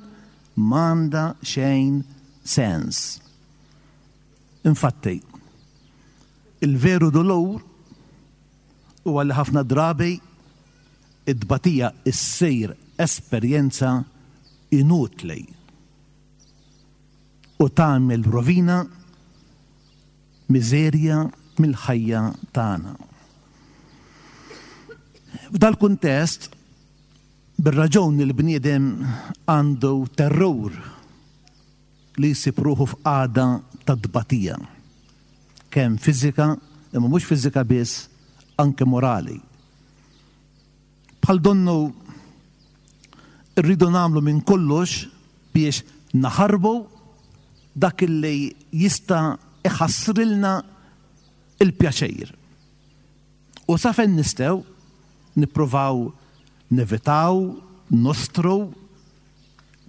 m'għandha xejn sens. Infatti, il-veru dolur huwa li ħafna drabi id-tbatija issir esperjenza inutli u tagħmel rovina, miżerja mill-ħajja tagħna. F'dal-kuntest, bir-raġun il-bniedem għandu terrur li jsib ruħu f'qagħda ta' tbatija, kemm fiżika, imma mhux fiżika biss, anke morali. Bħal donnu rridu nagħmlu minn kollox biex naħarbu dak li jista' iħassrilna il-pjaċir. U sa fejn nistgħu nippruvaw nevitaw, nostru,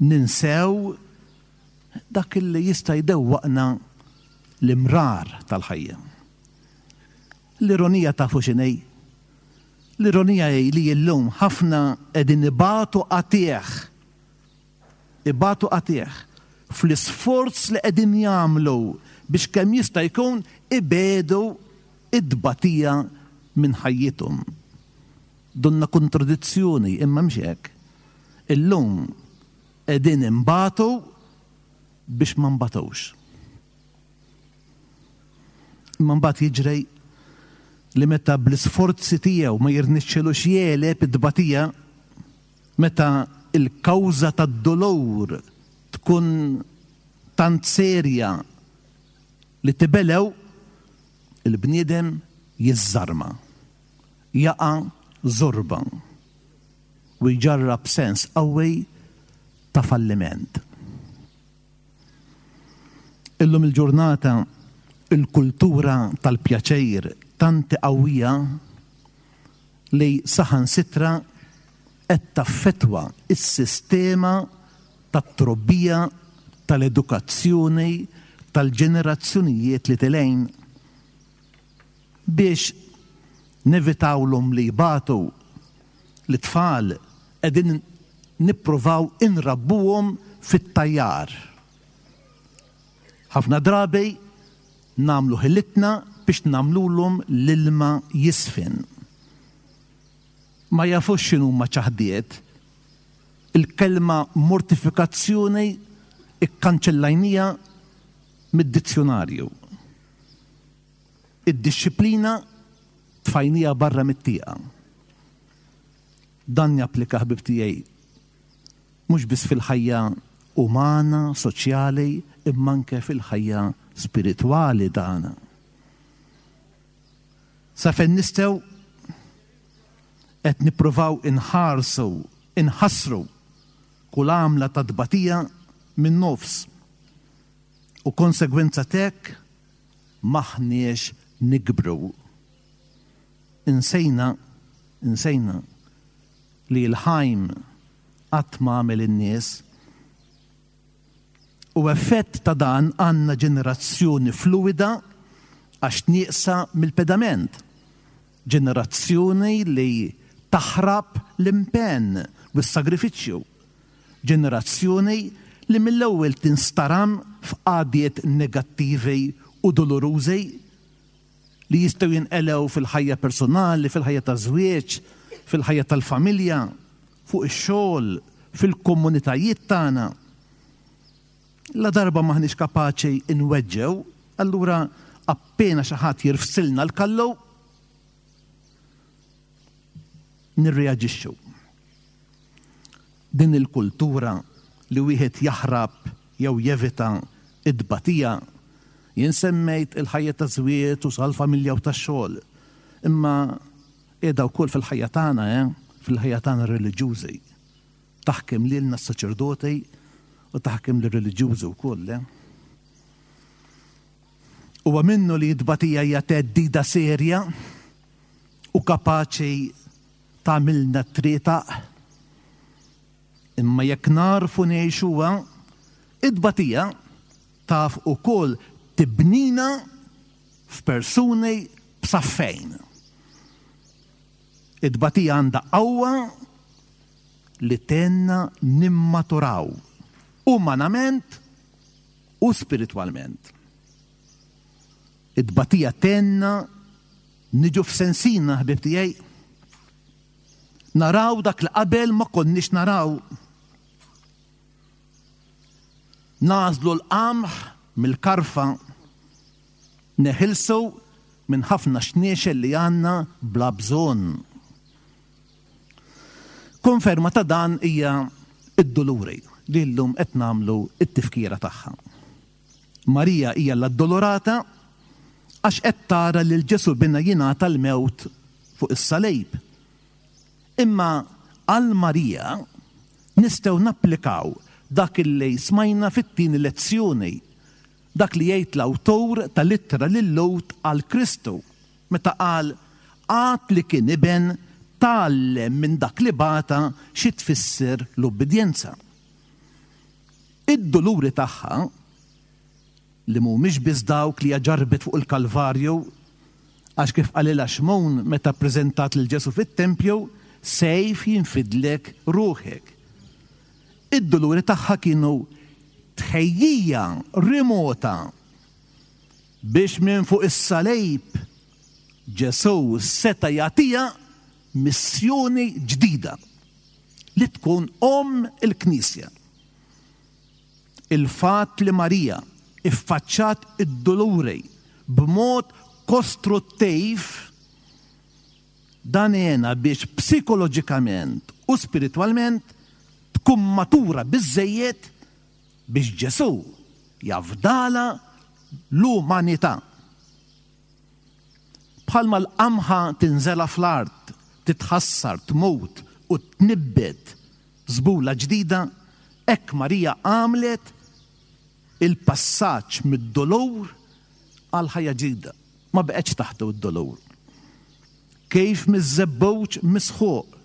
ninsew dak li jista' jdewwaqna l-imrar tal-ħajja. L-ironija tafu x'inhi? L-ironija hi li llum ħafna qegħdin ibatu qatigħ. Ibatu qatigħ fl-isforz li qegħdin jagħmlu biex kemm jista' jkun ibedu id-tbatija minn ħajjithom. Donna kontradizzjoni, imma mhux hekk. Illum qegħdin imbatu biex ma nbatux. Imma mbagħad jiġri li meta bl-isforzi tiegħu ma jirnexxilux jegħleb id-tbatija, meta il-kawża tad-dolur tkun tant serja li tibelew, il-bniedem jiżżarma, jaqa' żorba u jġarrab sens qawwi ta' falliment. Illum il-ġurnata il-kultura tal-pjaċir tant qawwija li saħansitra qed taffettwa s-sistema tat-trobbija, tal-edukazzjoni, tal-ġenerazzjonijiet li tilejn biex nevitawlhom li jbatu l-tfal qegħdin nippruvaw inrabbuhom fit-tajjar. Ħafna drabi nagħmlu ħilitna biex nagħmlulhom l-ilma jisfin. Ma jafux x'inhuma ċaħdiet. Il-kelma mortifikazzjoni ikkanċellajnija mid-dizzjonarju. Id-disciplina tfajnija barra mit-tieqa. Dan japplika, ħbib tiegħi, mhux biss fil-ħajja umana, soċjali, imma anke fil-ħajja spiritwali tagħna. Sa fejn nistgħu qed nippruvaw inħarsu, inħassru kull għamla ta' tbatija minn nofs. U konsegwenza t'hekk maħniex nikbru. Insejna, insejna li l-ħajm qatt ma għamel in-nies. U effett ta' dan għandna ġenerazzjoni fluida għax nieqsa mill-pedament. Ġenerazzjoni li taħrab l-impenn u s-sagrifiċċju. Ġenerazzjoni li mill-ewwel tinstaram f'qagħdiet negattivi u dolorużi li jistgħu jinqelew fil-ħajja personali, fil-ħajja ta' żwieġ, fil-ħajja tal-familja, fuq ix-xogħol, fil-komunitajiet tagħna. La darba maħniex kapaċi inweġġew, allura appena xi ħadd jirfsilna l-kallu nirreaġixxu. Din il-kultura li wieħed jaħrab jew jevita id-batija, jien semmejt il-ħajja ta' żwieġ u sal-familja u tax-xogħol, imma qiegħda wkoll fil-ħajja tagħna, eh? Fil-ħajja tagħna reliġjużi. Taħkem lilna s-saċerdoti u taħkem lir-reliġjużi wkoll, eh? Huwa minnu li t-tbatija hija theddida serja u kapaċi tagħmilna trietaq, imma jekk narfu ngħixuha, it-tbatija taf ukoll tibnina f'persuni b'saffejn. It-tbatija għandha qawwa li tenna nimmaturaw umanament u spiritwalment. Id-batija tenna niġu f'sensina, ħbib tiegħi. Naraw dak li qabel ma konniex naraw. Nażlu l-qamħ mill-karfa, neħilsu minn ħafna xniexel li għandna bla bżonn. Konferma ta' dan hija id-Duluri li llum qed nagħmlu t-tifkira tagħha. Marija hija l-Addolorata għax qed tara lil Ġesu binha jingħata l-mewt fuq is-salib. Imma għal Marija nistgħu napplikaw dak li smajna fit-tieni lezzjoni, dak li jgħid l-awtur tal-ittra lil-Lhud għal Kristu meta qal għad li kien iben tgħallem minn dak li bata xi tfisser l-ubbidjenza. Id-duluri tagħha li mhumiex biss dawk li ġarbet fuq il-Kalvarju, għax kif qalilha Xmun meta ppreżentat lil Ġesu fit-tempju, sejf jinfidlek ruħek. Id-duluri tagħha kienu tħejjija remota biex minn fuq is-salib Ġesu seta' jagħtiha missjoni ġdida li tkun omm il-Knisja. Il-fatt li Marija iffaċċat id-duluri b'mod kostruttiv dan għena biex psikoloġikament u spiritwalment tkun matura biżżejjed biex Ġesu jafdala l-umanità. Bħalma l-qamħa tinżela fl-art, titħassar, tmut u tnibbet żbula ġdida, hekk Marija għamlet il-passaġġ mid-dolur għal ħajja ġdida. Ma beqgħetx taħtu d-dolur. Kif miż-żebbuġ misħuq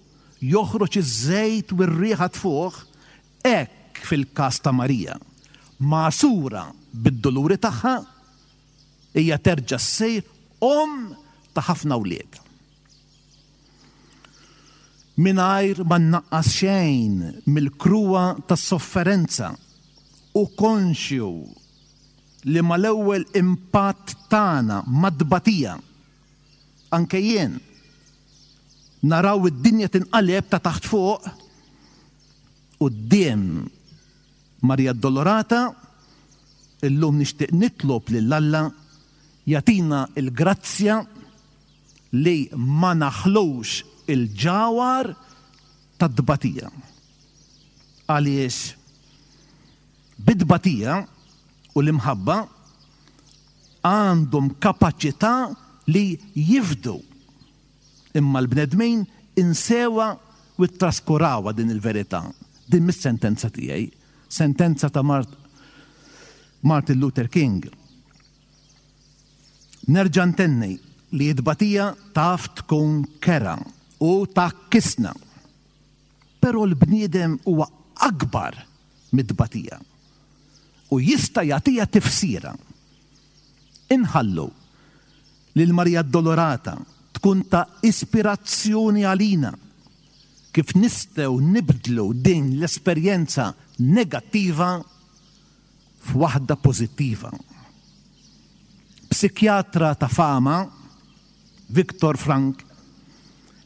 joħroġ iż-żejt u r-riħa tfuħ, hekk fil-każ ta' Marija, magħsura bid-doluri tagħha, hija terġa' ssir omm ta' ħafna wlied. Mingħajr ma nnaqqas xejn mill-kruha tas-sofferenza u konxju li mal-ewwel impatt tagħna mad-tbatija, anke jien, naraw id-dinja tinqaleb ta' taħt fuq, quddiem Marija Addolorata, illum nixtieq nitlob lil Alla jagħtina l-grazzja li ma naħlux il-ġawar tad-tbatija. Għaliex bit-tbatija u l-imħabba għandhom kapaċità li jifdu. Imma l-bnedmin insewa u ttraskurawa din il-verità. Din mis-sentenza tiegħi, sentenza ta' Mart-, Martin Luther King. Nerġa' ntenni li t-tbatija taf tkun kera u takkisna. Però l-bniedem huwa akbar mid-tbatija u jista' jagħtiha tifsira. Inħallu lil Marija Addolorata tkun ta' ispirazzjoni għalina kif nistgħu nibdlu din l-esperjenza negattiva f'waħda pożittiva. Psikjatra ta' fama, Viktor Frank,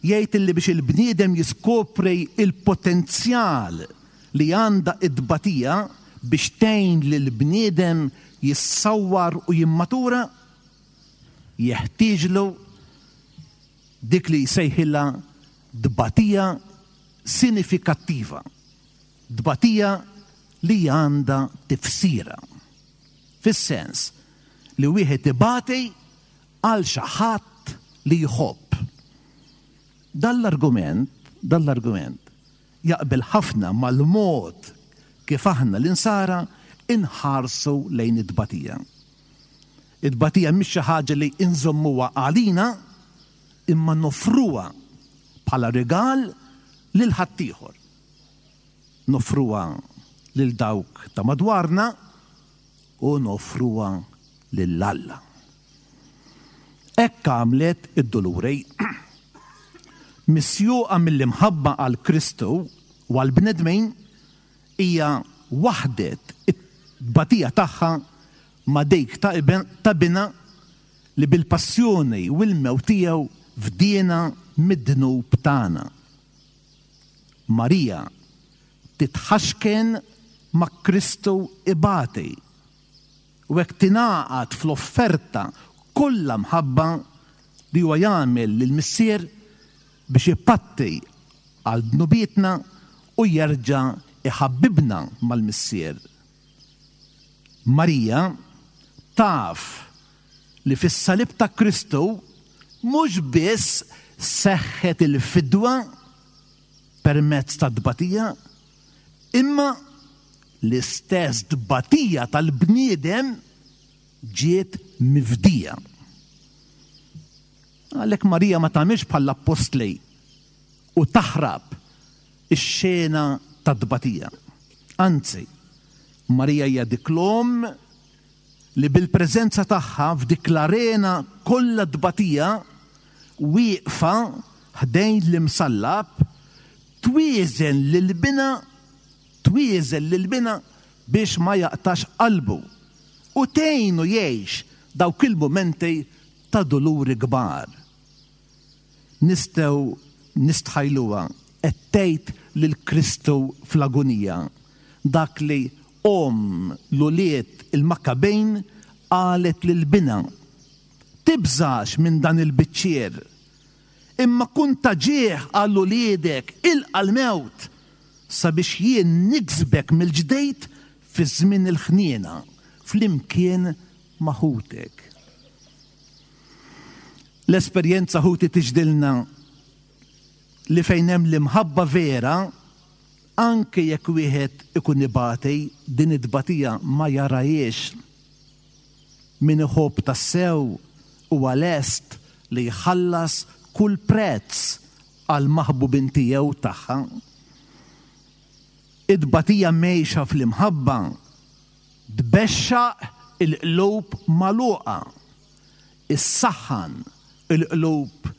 jgħid li biex il-bniedem jiskopri il-potenzjal li għandha id-batija biex tgħin lil bniedem jissawwar u jimmatura, jeħtieġlu dik li jsejħilha dbatija sinifikattiva, dbatija li għandha tifsira. Fis-sens li wieħed ibati għal xi ħadd li jħobb. Dan l-argument, dan l-argument jaqbel ħafna mal-mod kif aħna l-insara inħarsu lejn id-tbatija. Id-tbatija mhix xi ħaġa li inżommuha għalina, imma nofruha bħala rigal lil ħaddieħor. Nofruha lil dawk ta' madwarna u nofruha lil Alla. Hekk għamlet id-Duluri. Misjuqa mill-imħabba għal Kristu u għal bnedmin, hija waħdet tbatija tagħha ma' dik ta' ta' binha li bil-passjoni u l-mewt tiegħu fdiena mid-dnub tagħna. Marija titħaxken ma' Kristu ibati u hekk tingħaqad fl-offerta kollha mħabba li huwa jagħmel lill-Missier biex ipatti għal dnubietna u jerġa' iħabbibna mal-Missier. Marija taf li fis-salib ta' Kristu mhux biss seħħet il-fidwa permezz ta' tbatija, imma l-istess tbatija tal-bniedem ġiet mifdija. Għalhekk Marija ma tagħmilx bħall-appostli u taħrab ix-xena ta' tbatija. Anzi, Marija hija dik l-omm li bil-preżenza tagħha f'dik l-arena kollha tbatija wieqfa ħdejn l-imsallab twieżen lil binha twieżen lil binha biex ma jaqtax qalbu u tgħinu jgħix dawk il-mumenti ta' duluri kbar. Nistgħu nistħajluha qed tgħid lil Kristu fl-agunija dak li omm l-ulied il-Makkabejn qalet lil binha: Tibżax minn dan il-biċċier, imma kun ta' ġieħ għal uliedek, ilqa' l-mewt sabiex jien niksbek mill-ġdejt fi żmien il-ħniena flimkien ma' ħutek. L-esperjenza ħuti tixhdilna li fejn hemm l-imħabba vera, anke jekk wieħed ikun ibati, din it-tbatija ma jarahiex. Min iħobb tassew huwa lest li jħallas kull prezz għal maħbubin tiegħu tagħha. It-tbatija mgħejxa fl-imħabba tbexxaq il-qlub magħluqa, issaħħan il-qlub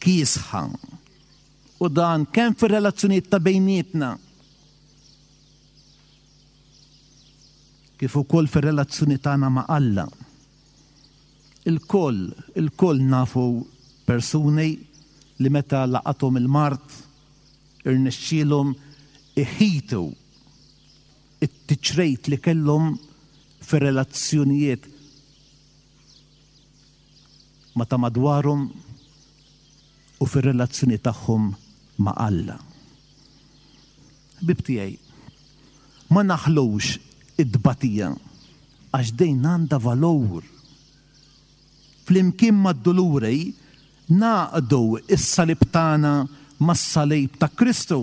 kiesħa. U dan kemm fir-relazzjonijiet ta' bejnietna kif ukoll fir-relazzjoni tagħna ma' Alla. Il-koll, il-koll nafu persuni li meta laqathom il-mard irnexxielhom iħitu it-tiċrejt li kellhom fir-relazzjonijiet ma' ta' madwarhom u fir-relazzjoni tagħhom ma' Alla. Ħbieb tiegħi, ma naħlux id-tbatija għax dejn għandha valur. Flimkien mad-duluri naqdu is-salib tagħna mas-salib ta' Kristu.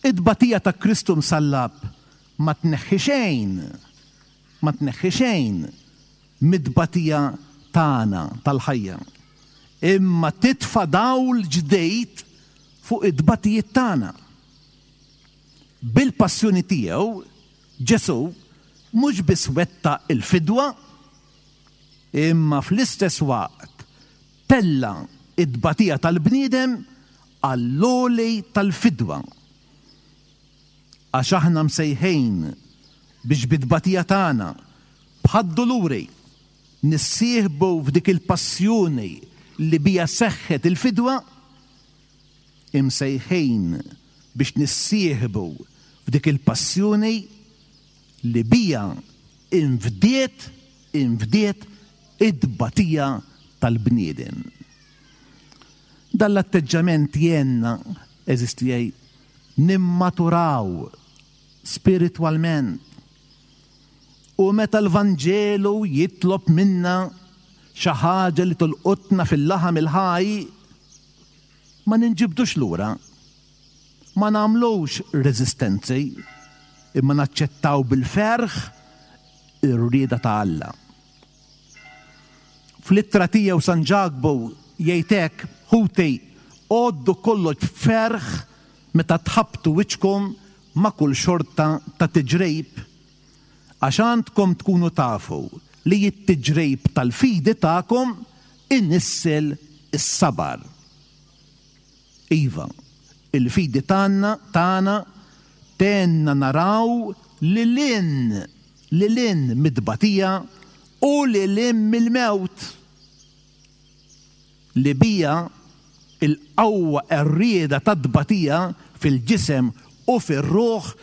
Id-tbatija ta' Kristu msallab ma tneħħi xejn, ma tneħħi xejn mid-tbatija tagħna tal-ħajja, imma titfa' dawl ġdejt fuq id-tbatijiet tagħna. Bil-passjoni tiegħu Ġesù mhux biss wettaq il-fidwa, imma fl-istess waqt tella id-tbatija tal-bniedem għall-għoli tal-fidwa. Għax aħna msejħin biex bit-tbatija tagħna bħad-duluri nissieħbu f'dik il-passjoni li bija seħħet il-fidwa, imsejħin biex nissieħbu f'dik il-passjoni li bija infdiet, infdiet id-tbatija tal-bniedem. Dan l-atteġġament jenna, għeżież tiegħi, nimmaturaw spiritwalment. U meta l-Vanġelu jitlob minna xi ħaġa li tolqotna fil-laħam il-ħaj, ma ninġibdux lura, ma nagħmlux reżistenzi, imma naċċettaw bil-ferħ ir-rieda ta' Alla. Fl-ittra tiegħu San Ġakbu jgħid hekk: ħuti, għoddu kollox b'ferħ meta tħabbtu wiċċkom ma' kull xorta ta' tiġrib, għax għandkom tkunu tafu li t-tiġrib tal-fidi tagħkom inissel is-sabar. Iva, il-fidi tagħna tagħna Tgħinna naraw lil hinn, lil hinn mid-tbatija u lil hinn mill-mewt. Li bija il-qawwa qerrieda tat-tbatija fil-ġisem u fir-ruħ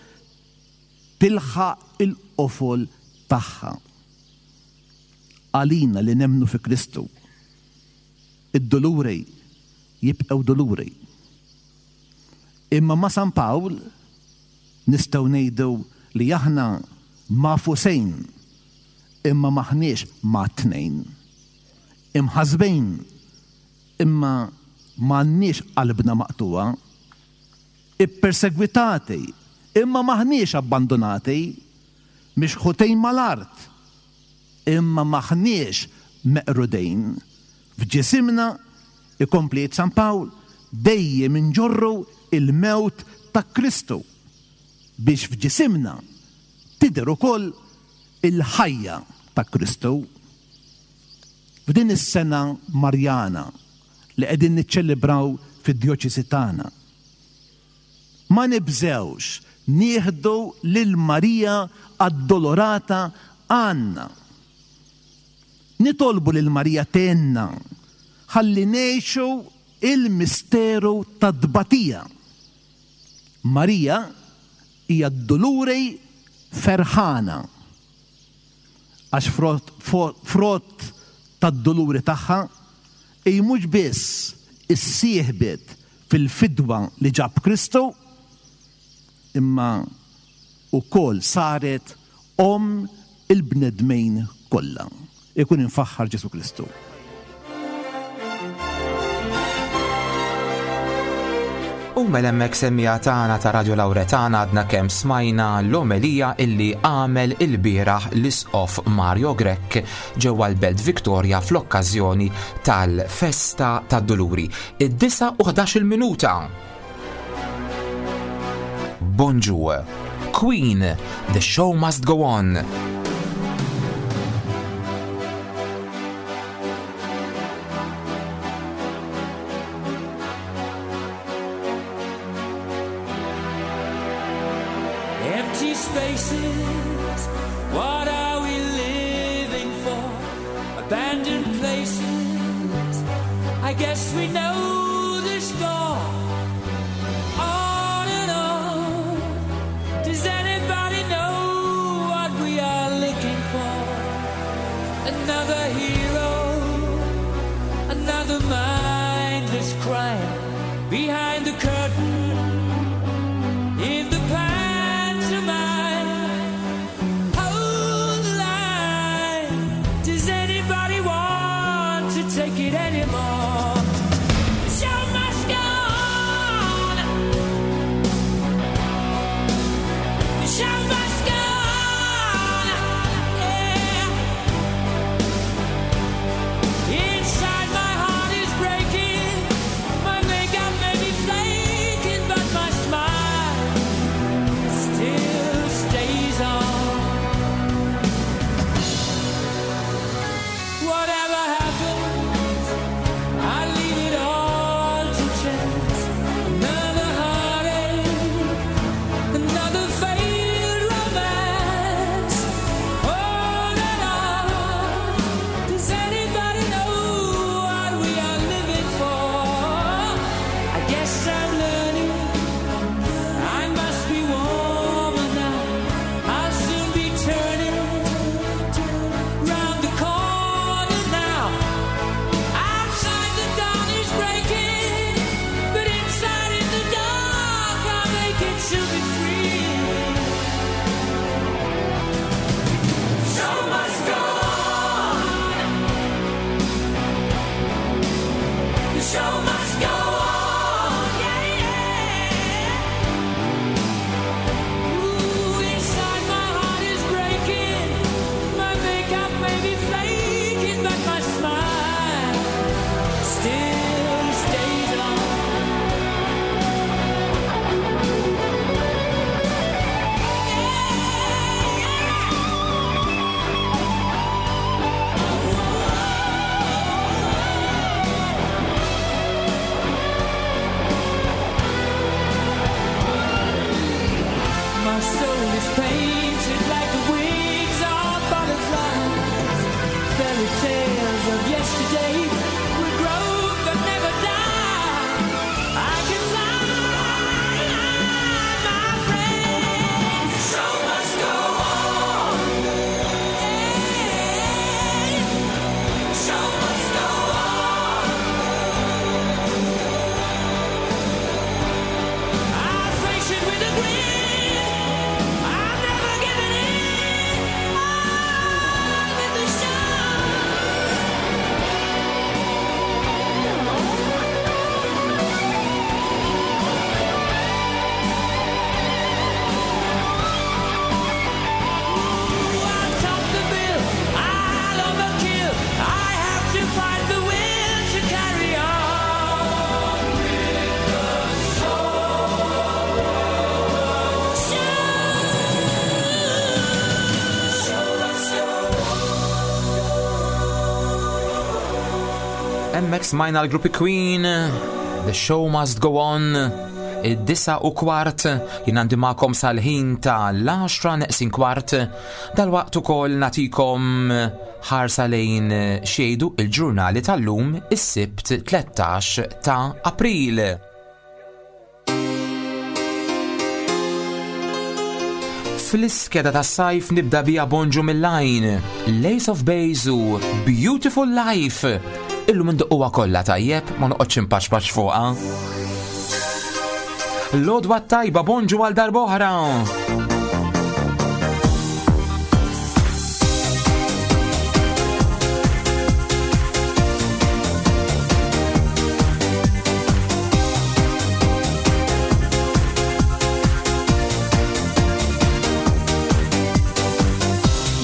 tilħaq il-qofol tagħha. Għalina li nemmnu fi Kristu, id-doluri jibqgħu doluri. Imma ma' San Pawl nistgħu ngħidu li aħna magħfusejn imma maħniex mgħattnejn. Imħassbejn imma m'għandniex qalbna maqtugħa. Ippersegwitati imma maħniex abbandonati, mixħutejn mal-art imma maħniex meqrudejn. F'ġisimna, ikompli San Pawl, dejjem inġorru il-mewt ta' Kristu biex f'ġisimna tidher ukoll il-ħajja ta' Kristu. F'din is-sena Marjana li qegħdin niċċelebraw fid-djoċesi tagħna, ma nibżewx nieħdu lil Marija Addolorata għandna. Nitolbu lil Marija tgħinna ħalli ngħixu il-misteru tad-tbatija. Marija hija d-duluri ferħana għax frott, frott tad-duluri tagħha hi mhux biss issieħbet fil-fidwa li ġab Kristu, imma wkoll saret omm il-bnedmin kollha. Ikun imfaħħar Ġesù Kristu. U mela hemmhekk semmiegħa tagħna ta' Radio Lauretana għadna kemm smajna l-omelija illi għamel il-bieraħ l-Isqof Mario Grech ġewwa l-Belt Victoria fl-okkażjoni tal-Festa tad-Duluri. Id-disa u ħdax-il minuta. Bonġu. Queen, The Show Must Go On. Empty spaces, what are we living for? Abandoned places, I guess we know the score. On and on, does anybody know what we are looking for? Another hero, another mindless crime behind the curtain in the pantomime. Hold the line. Does anybody want to take it anymore? Painted like the wings of butterflies, fairy tales of yesterday will grow but never die. I can fly, my friend. The show must go on. The show must go on. I'll face it with a grin. I'm never giving in. I'm with the show. I'll top the bill. I'll overkill. I have to find the will to carry on with the show. Show. Hemmhekk smajna l-gruppi Queen, The Show Must Go On, id-disa u kwart, jien għandi magħkom sal-ħin ta' l-għaxra neqsin kwart, dal-waqt ukoll nagħtikom ħarsa lejn xejdu il-ġurnali tal-lum is-Sibt tlettax ta' April. Fl-iskeda tas sajf nibda bija bonġu mill-lajn, Lace of Base u Beautiful Life. Illum indoqquha kollha tajjeb, ma noqgħodx impaċpaċ fuqha. L-għodwa tajba bonġu għal darb'oħra.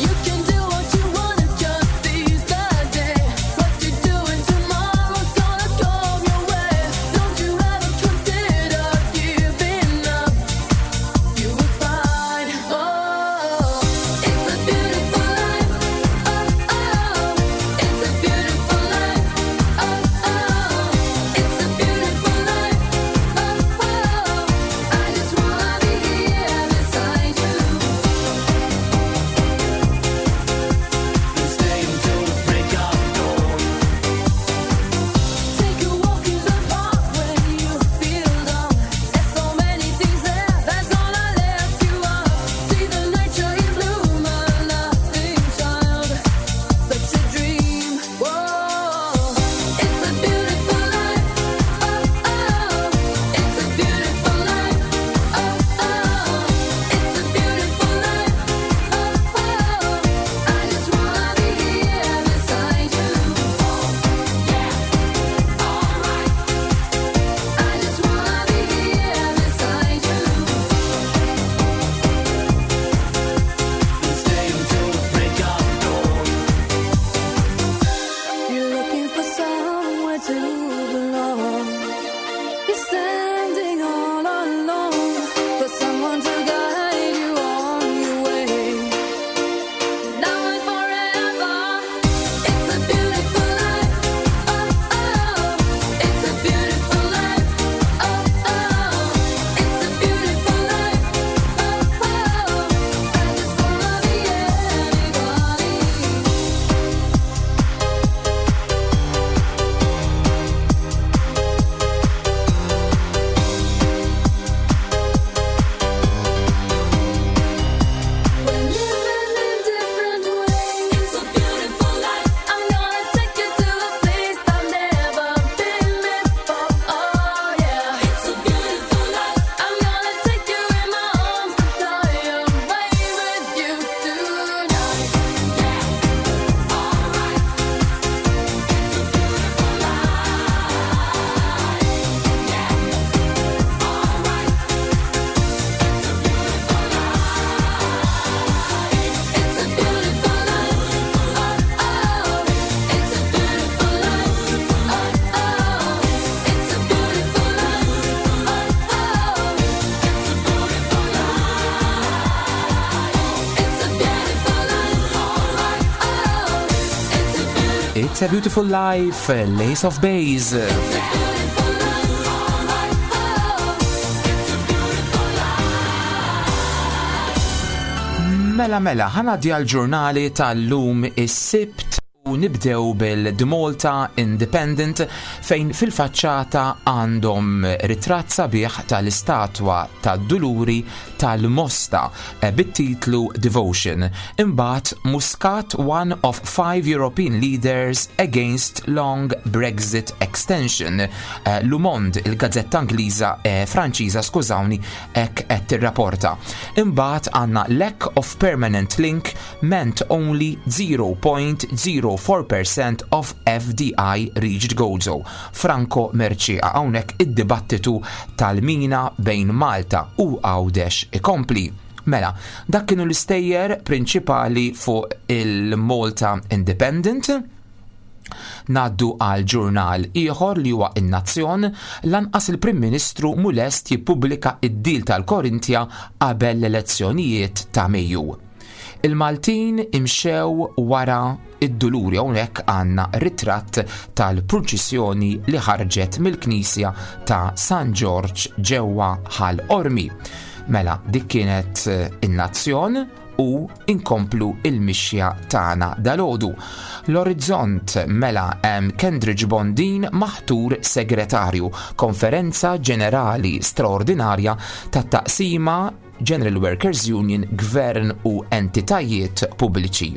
You can do what you wanna, just seize the day. What you're doing tomorrow's gonna come your way. Don't you ever consider giving up? You will find, oh, it's a beautiful life. Oh, oh, it's a beautiful life. Oh, oh, it's a beautiful life. Oh, oh, I just wanna be here beside you. Stay until the break of dawn. Take a walk in the park when you feel down. There's so many things there that's gonna lift you up. See the nature in bloom, a laughing child, such a dream. Whoa, it's a beautiful life. Oh oh, it's a beautiful life. Oh oh, it's a beautiful life. Oh oh, I just wanna be here beside you. I just wanna be here beside you. Stay until the break of dawn. You're looking for somewhere to belong. You're standing all alone for someone to guide you on your way. Now and forever, it's a beautiful life. Oh oh, it's a beautiful life. Oh oh, it's a beautiful life. Oh oh, I just wanna be anybody. We're living in different ways. It's a beautiful life. I'm gonna take you to a place I've never been before. Oh yeah, it's a beautiful life. I'm gonna take you in my arms and fly away with you tonight. Yeah, alright. It's a beautiful life. Yeah, alright. It's a beautiful life. It's a beautiful life. Oh oh, it's a beautiful life. Oh oh, it's a beautiful life. Oh oh, it's a beautiful life. It's a beautiful life. Alright. Oh, it's a beautiful. It's a Beautiful Life, Lace of Base. Mela mela, ħa ngħaddi għall-ġurnali tal-lum is-Sibt u nibdew bil-The Malta Independent, fejn fil-faċċata għandhom ritratt sabiħ tal-istatwa tad-Duluri tal-Mosta eh, bit-titlu Devotion. Imbagħad, "Muscat one of five European leaders against long Brexit extension." Eh, Le Monde, il-gazzetta Ingliża, eh, Franċiża, skużawni, hekk qed tirrapporta. Imbagħad għandna "Lack of permanent link meant only zero point zero four percent of F D I reached Gozo." Franco Mercieca, hawnhekk id-dibattitu tal-mina bejn Malta u Għawdex ikompli. Mela, dak kienu l-istejjer prinċipali fuq il-Malta Independent. Ngħaddu għal ġurnal ieħor li huwa In-Nazzjon. Lanqas il-Prim Ministru mhu lest jippubblika id-deal tal-Korintja qabel l-elezzjonijiet ta' Mejju. Il-Maltin imxew wara id-Duluri, hawnhekk għandna ritratt tal-purċissjoni li ħarġet mill-Knisja ta' San George ġewwa Ħal Qormi. Mela, dik kienet eh, In-Nazzjon u inkomplu il-mixja tagħna dalgħodu. L-Orizzont, mela, hemm Kendridge Bondin maħtur segretarju, konferenza ġenerali straordinarja tat-taqsima General Workers Union, Gvern u entitajiet pubbliċi.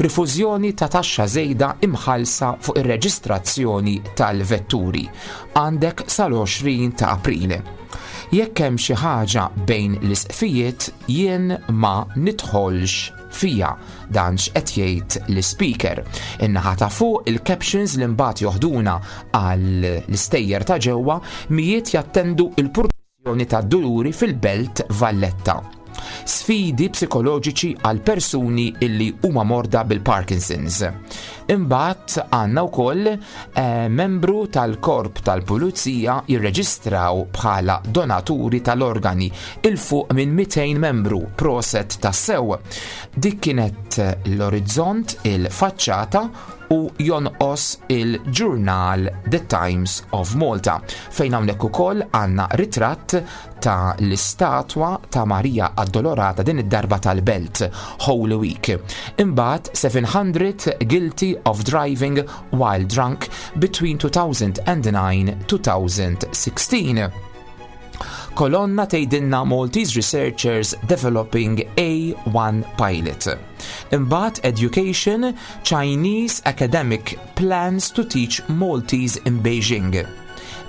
Rifużjoni ta' taxxa żejda imħalsa fuq ir-reġistrazzjoni tal-vetturi. Għandek sal-għoxrin ta' April. Jekk hemm xi ħaġa bejn l-isqfijiet, jien ma nidħolx fija, dan x'qed jgħid l-speaker. In-naħa ta' fuq, il-captions li mbagħad joħduna għal l-istejjer ta' ġewwa: mijiet jattendu il-purċissjoni ta' Duluri fil-Belt Valletta. Sfidi psikoloġiċi għal persuni illi huma morda bil-Parkinson's. Imbagħad għandna wkoll eh, membru tal-korp tal-pulizija jirreġistraw bħala donaturi tal-organi, 'il fuq minn mitejn membru, proset tassew. Dik kienet L-Orizzont, il-faċċata, u jonqos il-ġurnal The Times of Malta, fejn hawnhekk ukoll għandna ritratt ta' l-istatwa ta' Marija Addolorata, din id-darba tal-Belt, Holy Week. Imbagħad, seven hundred guilty of driving while drunk between two thousand nine-twenty sixteen. Kolonna tgħidilna "Maltese Researchers Developing A one Pilot". Imbagħad Education, "Chinese Academic Plans to Teach Maltese in Beijing".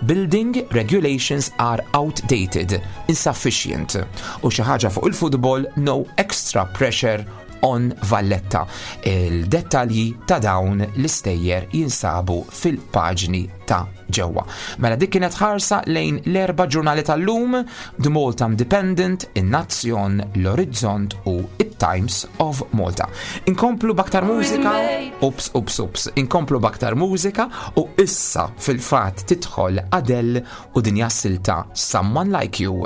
"Building regulations are outdated, insufficient". U xi ħaġa fuq il-futbol, "No extra pressure on Valletta". Il-dettalji ta' dawn l-istejjer jinsabu fil-paġni ta' ġewwa. Mela, dik kienet ħarsa lejn l-erba' ġurnali tal-lum: The Malta Independent, In-Nazzjon, L-Orizzont u it-Times of Malta. Inkomplu b'aktar mużika, ups, ups, ups, inkomplu b'aktar mużika u issa fil-fatt tidħol Adele u din silta Someone Like You.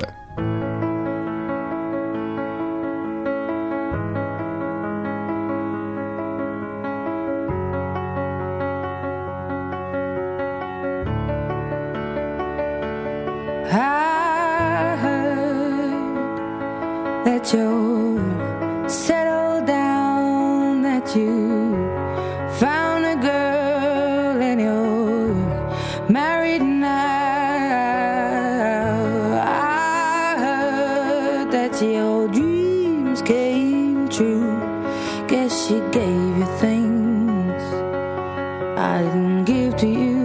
I heard that you settled down, that you found a girl and you're married now. I heard that your dreams came true. Guess she gave you things I didn't give to you.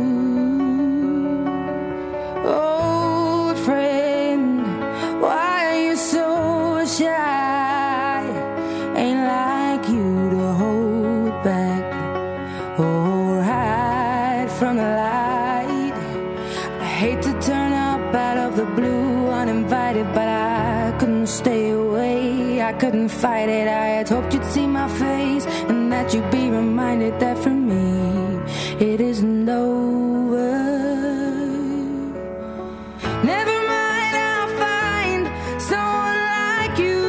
Old friend, why are you so shy? Ain't like you to hold back or hide from the light. I hate to turn up out of the blue uninvited, but I couldn't stay away. I couldn't fight it. I had hoped you'd see my face and that you'd be reminded that for me it isn't over. Never mind, I'll find someone like you.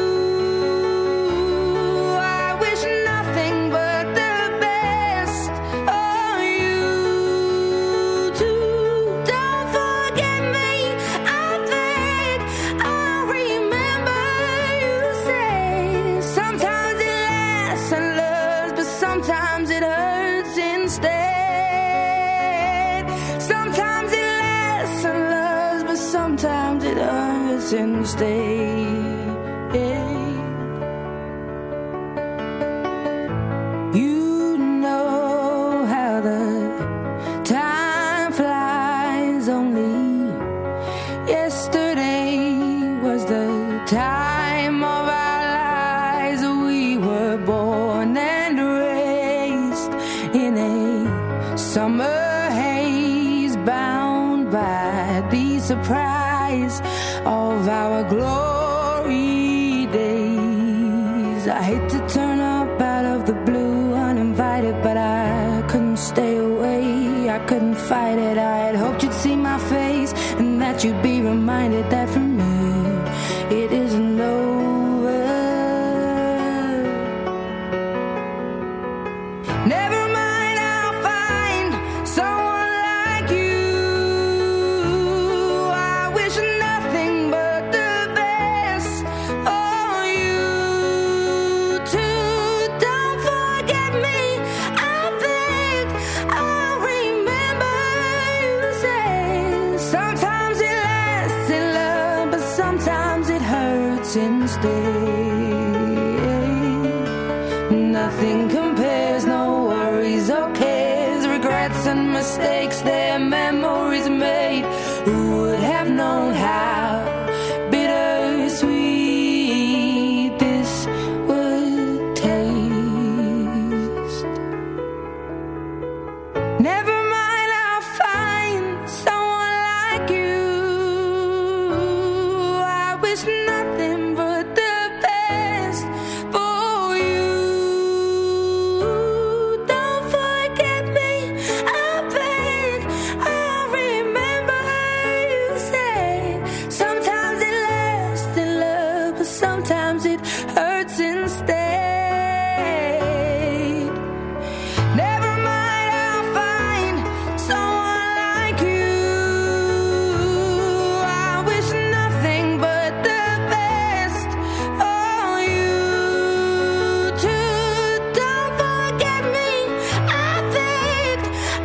I wish nothing but the best for you too. Don't forget me, I beg. I remember you say sometimes hurts instead. You know how the time flies. Only yesterday was the time of our lives. We were born and raised in a summer haze, bound by the surprise of our glory days. I hate to turn up out of the blue uninvited, but I couldn't stay away. I couldn't fight it. I had hoped you'd see my face and that you'd be reminded that for me it isn't over. Never mind, I'll find someone like you. I wish nothing but the best for you too. Don't forget me, I beg. I'll remember you say. Sometimes it lasts in love, but sometimes it hurts instead. Nothing compares, no worries or cares, regrets and mistakes, their memories made. Who would have known how bittersweet this would taste? Never mind, I'll find someone like you. I wish nothing but the best for you. Don't forget me, I beg. I'll remember you say. Sometimes it lasts in love, but sometimes it hurts instead. Never mind, I'll find someone like you. I wish nothing but the best for you too. Don't forget me, I beg.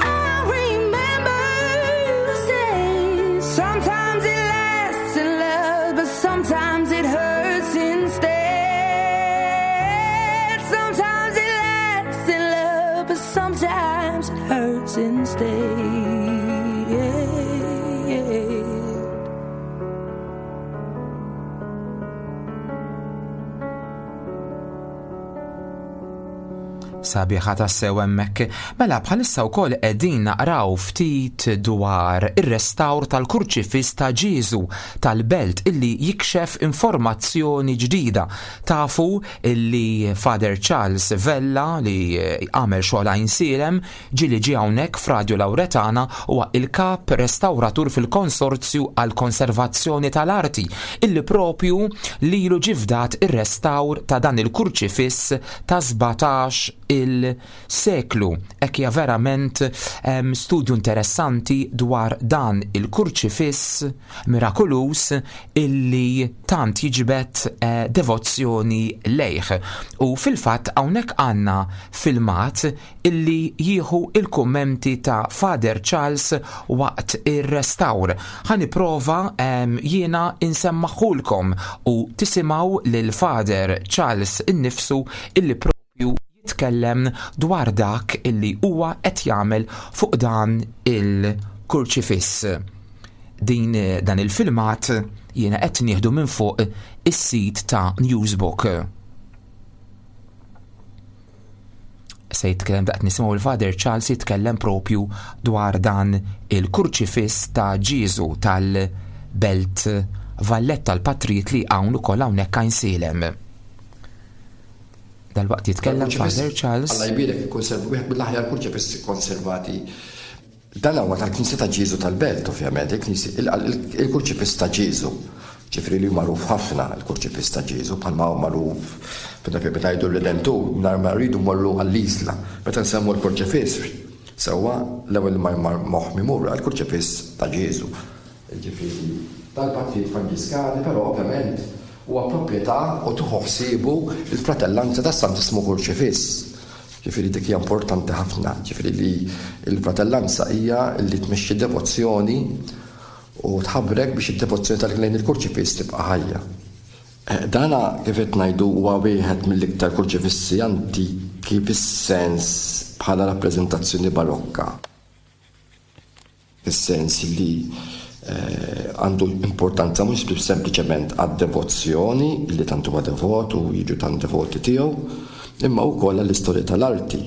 I'll remember you say. Sometimes it lasts in love, but sometimes it hurts instead. Sometimes it lasts in love, but sometimes it hurts instead. Sabiħa tassew hemmhekk. Mela bħalissa wkoll qegħdin naqraw ftit dwar ir-restawr tal-kurċifiss ta' Ġieżu tal-belt illi jikxef informazzjoni ġdida. Tafu illi Father Charles Vella li għamel xogħol Għajnsielem ġieli ġie hawnhekk f'Radio Lauretana huwa il-kap restawratur fil-Konsorzju għall-Konservazzjoni tal-Arti illi propju lilu ġie fdat ir-restawr ta' dan il-kurċifiss ta' sbatax il-seklu. Hekk hija verament em, studju interessanti dwar dan il-kurċifiss mirakulus illi tant jiġbed eh, devozzjoni lejh. U fil-fatt hawnhekk għandna filmat illi jieħu il-kummenti ta' Father Charles waqt ir-restawr. Ħa nipprova em, jiena insemmaħulkom u tisimgħu lil Father Charles innifsu illi propju jitkellem dwar dak illi huwa qed jagħmel fuq dan il-kurċifiss. Din dan il-filmat jiena qed nieħdu minn fuq is-sit ta' Newsbook. Se jitkellem daqt nisimgħu il-Father Charles jitkellem propju dwar dan il-kurċifiss ta' Ġieżu tal-Belt Valletta l-Patrijiet li hawn ukoll hawnhekk Għajnsielem. Dal-waqt jitkellem Kurċifiss, Father Charles. Alla jbierek, ikkonserv-, wieħed mill-aħjar kurċifiss konservati. Dan huwa tal-Knisja ta' Ġieżu tal-Belt, ovvjament, il-Knisja, il-, il-, il-kurċifiss ta' Ġieżu. Ġifieri li magħruf ħafna il-kurċifiss ta' Ġieżu, bħalma huwa magħruf meta fi meta jgħidu l-Redentur, nhar ma rridu mmorru għall-Isla. Meta nsemmu l-kurċifiss, sewwa l-ewwel ma jmar moħħ mimur għall-kurċifiss ta' Ġieżu. Ġifieri tal-Patrijiet Franġiskani, però ovvjament huwa proprjetà u tieħu ħsiebu il-fratellanza tas-Santissmu Kurċifiss. Ġifieri dik hija importanti ħafna, ġifieri li l-fratellanza hija li tmexxi devozzjoni U tħabrek biex id-devozzjoni tal-lejn il-kurċifiss tibqa' ħajja. Dana kif qed ngħidu huwa wieħed mill-iktar kurċifissi antiki fis-sens bħala rappreżentazzjoni barokka. Fis-sens li għandu importanza mhux sempliċement għad-devozzjoni li tant huwa devot u jiġu tant devoti tiegħu, imma wkoll għall-istorja tal-arti.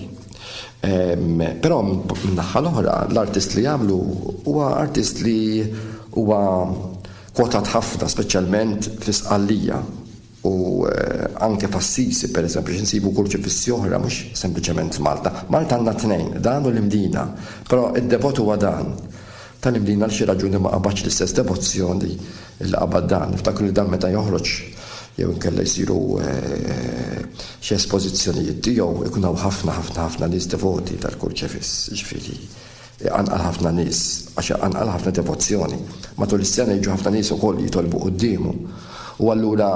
Però min-naħa l-oħra l-artist li jagħmlu huwa artist li huwa kwotat ħafna, speċjalment fi Sqallija u anke f'Assisi, per eżempju, x'insibu kurċifissi oħra mhux sempliċement Malta. Malta għandna tnejn, dan u l-Imdina, però id-devot huwa dan. Tal-Imdina għal xi raġuni ma qabadx l-istess devozzjoni li qabad dan. Niftakru li dan meta joħroġ jew inkella jsiru xi espożizzjonijiet tiegħu ikun hawn ħafna ħafna ħafna nies devoti tal-kurċifiss, ġifieri anqal ħafna nies, għax anqal ħafna devozzjoni. Matul is-sena jiġu ħafna nies ukoll jitolbu quddiemu. U allura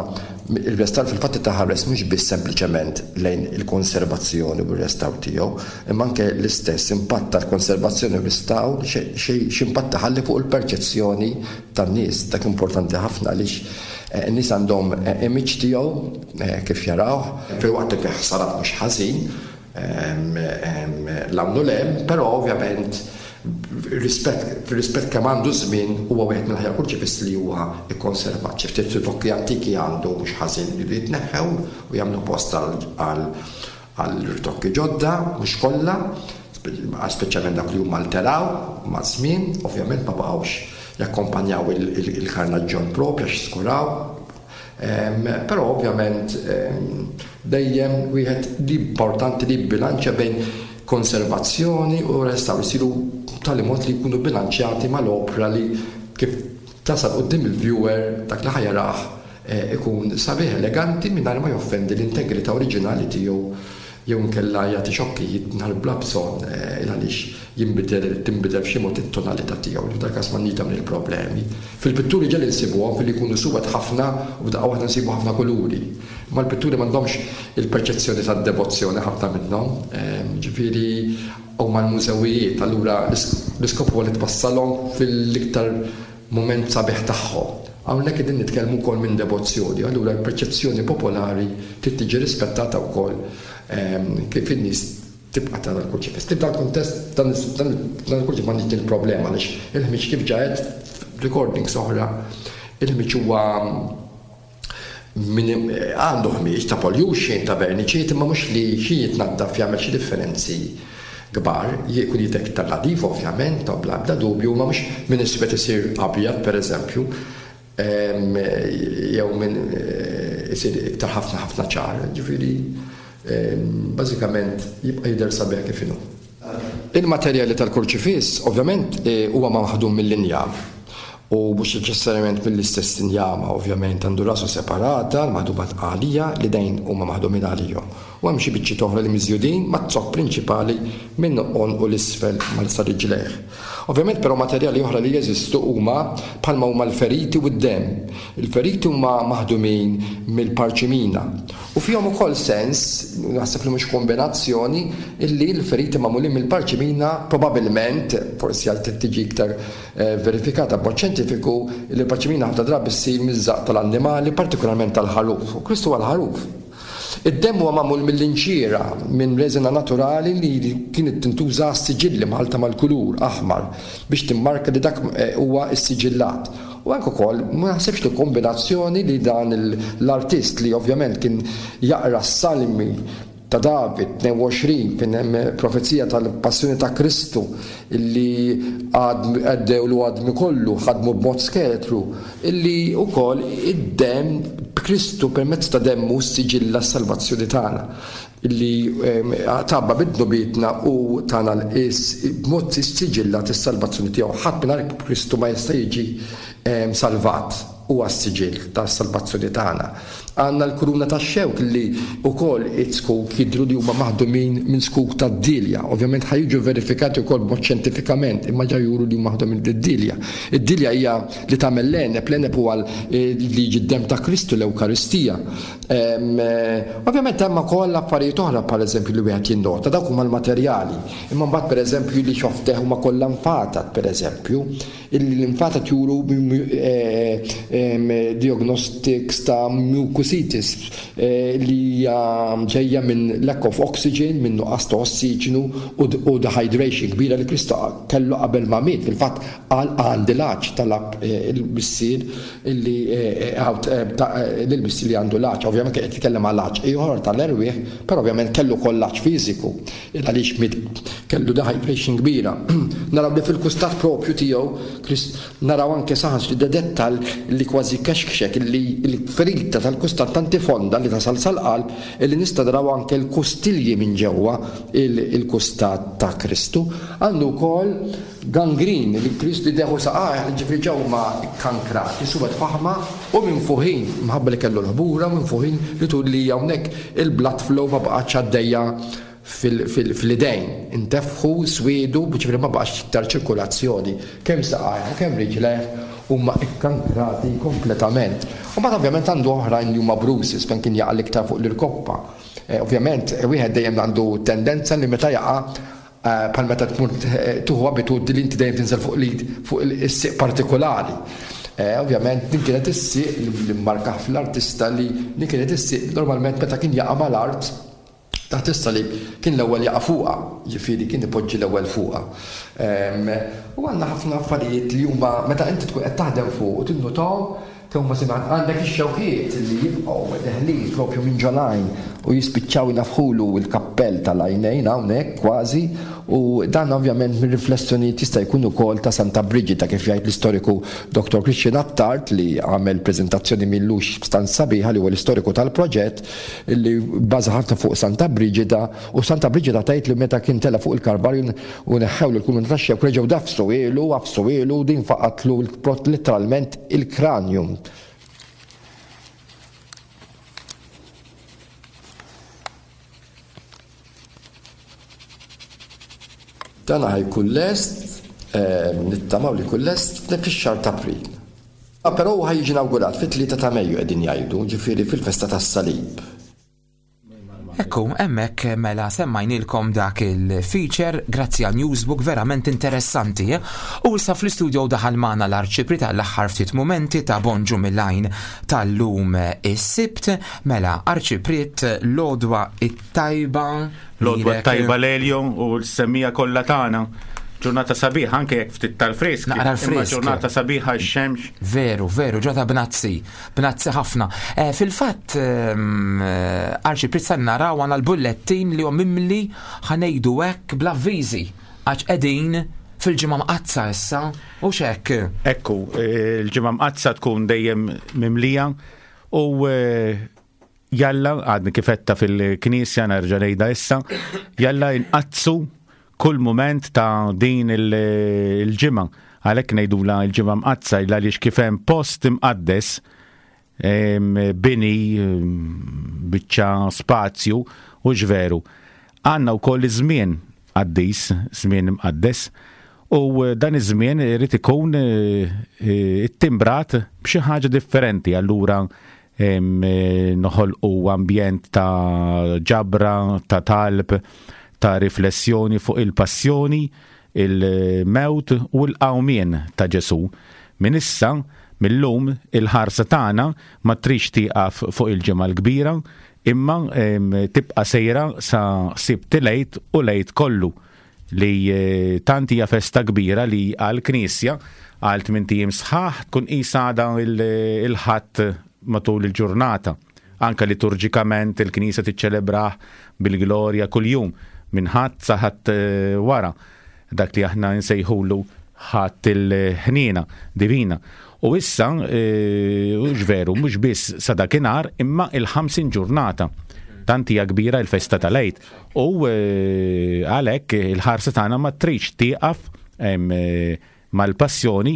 il-restawr fil-fatt taħares mhux biss sempliċement lejn il-konservazzjoni u r-restawr tiegħu, imma anke l-istess impatt tal-konservazzjoni u r-restawr x'impatt taħalli fuq il-perċezzjoni tan-nies. Dak importanti ħafna għaliex in-nies għandhom image tiegħu kif jarawh, filwaqt li fih ħsarat mhux ħażin l-hawn u l-hemm, però ovvjament rispett kemm għandu żmien huwa wieħed mill-aħjar kurċifiss li huwa ikkonservat. Xi ftit ritokki antiki għandu mhux ħażin li jitneħħew u jagħmlu post għal ritokki ġodda, mhux kollha, speċjalment dak li huma alteraw maż-żmien, ovvjament ma baqgħux jakkompanjaw il-karnaġġon propju għax skuraw. Però ovvjament dejjem wieħed li importanti li bilanċja bejn konservazzjoni u restawr isiru tali mod li jkunu bilanċjati mal-opra li kif tasal quddiem il-viewer dak li ħajarah ikun sabiħ eleganti mingħajr ma joffendi l-integrità oriġinali tiegħu jew inkella jagħti xokkijiet nhar bla bżonn għaliex jinbidel tinbidel f'xi mod it-tonalità tiegħu li f'dak każ m'għandniex dawn il-problemi. Fil-pitturi ġieli nsibuhom filli jkunu suwed ħafna u f'daqqa waħda nsibu ħafna kuluri. Ma l-pitturi m'għandhomx il-perċezzjoni tad-devozzjoni ħafna minnhom, ġifieri huma l-mużewijiet, allura l-iskop huwa li twassalhom fil-iktar mument sabiħ tagħhom. Hawnhekk qegħdin nitkellmu wkoll minn devozzjoni, allura l-perċezzjoni popolari trid tiġi rispettata wkoll kif in-nies tibqa' tara l-kurċifiss. Tibda l-kuntest dan il-kurċifiss m'għandix din il-problema għaliex il-ħmiġ kif ġaet recordings oħra, il-ħmiġ huwa għandu ħmiġ ta' pollution, ta' verniċiet, imma mhux li xi jitnaddaf jagħmel xi differenzi kbar, jkun jidher iktar nadif ovvjament, ta' bla ebda dubju, ma mhux minn iswed isir abjad pereżempju, jew minn isir iktar ħafna ħafna ċar, ġifieri bażikament jibqa' jidher sabiħ kif inhu. Il-materjali tal-kurċifiss ovvjament huwa maħdum mill-injam u mhux neċessarjament mill-istess injama, ovvjament għandu rasu separata, maħduma għalija, li dejn huma maħdumin għalihom. U hemm xi biċċiet oħra li miżjudin mat-zokk prinċipali minn għonq u l-isfel mal-sa riġlejh. Ovvjament però materjali oħra li jeżistu huma bħalma huma l-feriti u d-demm. Il-feriti huma maħdumin mill-parċimina u fihom ukoll sens, naħseb li mhux kombinazzjoni, illi l-feriti magħmulin mill-parċimina probabbilment, forsi għal tiġi iktar verifikata b'mod xjentifiku, li l-parċimina ħafna drabi ssir miż-żaqq tal-annimali, partikolarment tal-ħaruf. U Kristu huwa l-ħaruf. Id-demm huwa magħmul mill-inċira, minn reżina naturali li kienet tintuża għas-siġilli mħalta mal-kulur aħmar biex timmarka li dak huwa s-siġillat. U anke wkoll ma naħsibx li kombinazzjoni li dan l-artist li ovvjament kien jaqra s-salmi ta' David tnejn u għoxrin fejn hemm profezija tal-passjoni ta' Kristu illi għaddewlu għadmi kollu ħadmu b'mod skeletru, illi wkoll id-demm Kristu permezz ta' demmu siġilla s-salvazzjoni tagħna illi tabba bid-dnubietna u tagħna l-qis b'mod siġilla tas-salvazzjoni tiegħu. Ħadd mingħajr Kristu ma jista' jiġi salvat, huwa s-siġill tas-salvazzjoni tagħna. Għandna l-kuruna tax-xewk li wkoll it-skuk jidhru li huma maħdumin minn skuk tad-dilja. Ovvjament ħa jiġu verifikati wkoll b'mod xjentifikament, imma ġa juru li huma maħdumin mid-dilja. Id-dilja hija li tagħmel l-għeneb, l-għeneb huwa li jiġi d-demm ta' Kristu, l-Ewkaristija. Ovvjament hemm ukoll affarijiet oħra pereżempju li wieħed jinnota, dawk huma l-materjali. Imma mbagħad pereżempju li xofteħ huma kollha nfatat pereżempju, illi l-infatat juru diagnostics ta' mucositis li hija ġejja minn lack of oxygen, minn nuqqas ta' ossiġnu u dehydration kbira li Kristu kellu qabel ma miet. Fil-fatt qal għandi l-għatx, talab il-missier illi lill-missier li għandu l-għatx. Ovvjament kien qed jitkellem għal għatx ieħor tal-erwieħ, però ovvjament kellu wkoll l-għatx fiżiku għaliex miet kellu dehydration kbira. Naraw li fil-kustat propju tiegħu naraw anke saħans li dettal li kważi kexkxek li l-ferita tal-kustat tanti fonda li tasal sal-qalb illi nista' naraw anke l-kustilji minn ġewwa il-kustat ta' Kristu. Għandu wkoll gangrin li Kristu deħu saqajh, ġifri ġew ma kankrati, suwed faħma u minn fuħin, mħabba li kellu l-ħbura, minn fuħin li tul li hawnhekk il-blood flow ma baqgħetx għaddejja fil-idejn, intefħu, swiedu, ġifri ma baqgħax iktar ċirkolazzjoni, kemm saqajh u kemm riġlejh huma ikkankrati kompletament. U mbagħad ovvjament għandu oħrajn li huma bruises fejn kien jaqa' l-iktar fuq l-irkoppa. Ovvjament wieħed dejjem għandu tendenza li meta jaqa' bħal meta tmur tuħu abitudni li inti dejjem tinżel fuq l-id fuq is-sieq partikolari. Ovvjament din kienet is-sieq li mmarka fl-artista li din kienet is-sieq normalment meta kien jaqa' mal-art taħt is-salib kien l-ewwel jaqa' fuqha, ġifieri kien ipoġġi l-ewwel fuqha. U għandna ħafna affarijiet li huma meta inti tkun qed taħdem fuq u tinnutahom kemm huma simgħat għandek ix-xewkiet li jibqgħu deħlin propju minn ġolajn u jispiċċaw jnafħulu l-kappell tal-għajnejn hawnhekk kważi, u dan ovvjament minn riflessjonijiet jista' jkun ukoll ta' Santa Brigida kif jgħid l-istoriku Doktor Christian Attard li għamel preżentazzjoni millux stan sabiħa li huwa l-istoriku tal-proġett li bbaża ħafna fuq Santa Brigida, u Santa Brigida tgħid li meta kien tela fuq il-Kalvarju u neħħewlu l-kulmin tax-xewk reġgħu dafsu ilu, għafsu ilu, din faqatlu literalment il-kranjum. Dan ħajkun lest, nittamaw li jkun lest fix-xahar ta' April. Però hu ħajjiġi inawgurat fit-tlieta ta' Mejju qegħdin jgħidu, ġifieri fil-festa tas-Salib. Ekku, hemmhekk mela semmajnilkom dak il-feature grazzi għal Newsbook verament interessanti. U issa fl-istudio daħal magħna l-Arċipri tal-aħħar ftit mumenti ta' Bonġu mill-Għajn tal-lum is-Sibt. Mela Arċipriet, l-għodwa it-tajba. L-għodwa t-tajba Lelio u l-semmija kollha tagħna. Ġurnata sabiħa anke jekk ftit tal-frisk. Naqra l-frisk. Ġurnata sabiħa x-xemx. Veru, veru, ġurnata bnazzi, bnazzi ħafna. Fil-fatt, Arċipriet, sa naraw għandna l-bullettin li huwa mimli ħanejdu hekk bl-avviżi għax qegħdin fil-ġimgħa mqaddsa issa, u x'hekk. Ekku, il-ġimgħa mqaddsa tkun dejjem mimlija u jalla għadni kifetta fil-knisja nerġa' ngħidha issa, jalla inqaddsu kull moment ta' din il-ġimgħa. Għalhekk ngħidula l-ġimgħa mqaddsa għaliex kif hemm post imqaddes, bini, biċċa spazju u ġveru. Għandna wkoll iż-żmien qaddis, żmien imqaddes, u dan iż-żmien irid ikun ittimbrat b'xi ħaġa differenti. Allura noħolqu ambjent ta' ġabra, ta' talb, ta' riflessjoni fuq il-passjoni, il-mewt u l-qawmien ta' Ġesu. Min issa, mill-lum, il-ħarsa tagħna ma trix tieqaf fuq il-ġimgħa l-kbira, imma tibqa' sejra sa Sibt il-Għid u l-Għid kollu, li tant hija festa kbira li għall-Knisja għal tmien ijiem sħaħ tkun qisha għadha il-Ħadd matul il-ġurnata. Anka liturġikament il-Knisja tiċċelebrah bil-glorja kuljum minn Ħadd sa Ħadd wara, dak li aħna nsejħulu Ħadd il-ħniena divina. U issa, hux veru, mhux biss sa dakinhar, imma il-ħamsin ġurnata. Tant hija kbira l-festa tal-Għid. U għalhekk il-ħarsa tagħna ma tridx tieqaf mal-passjoni,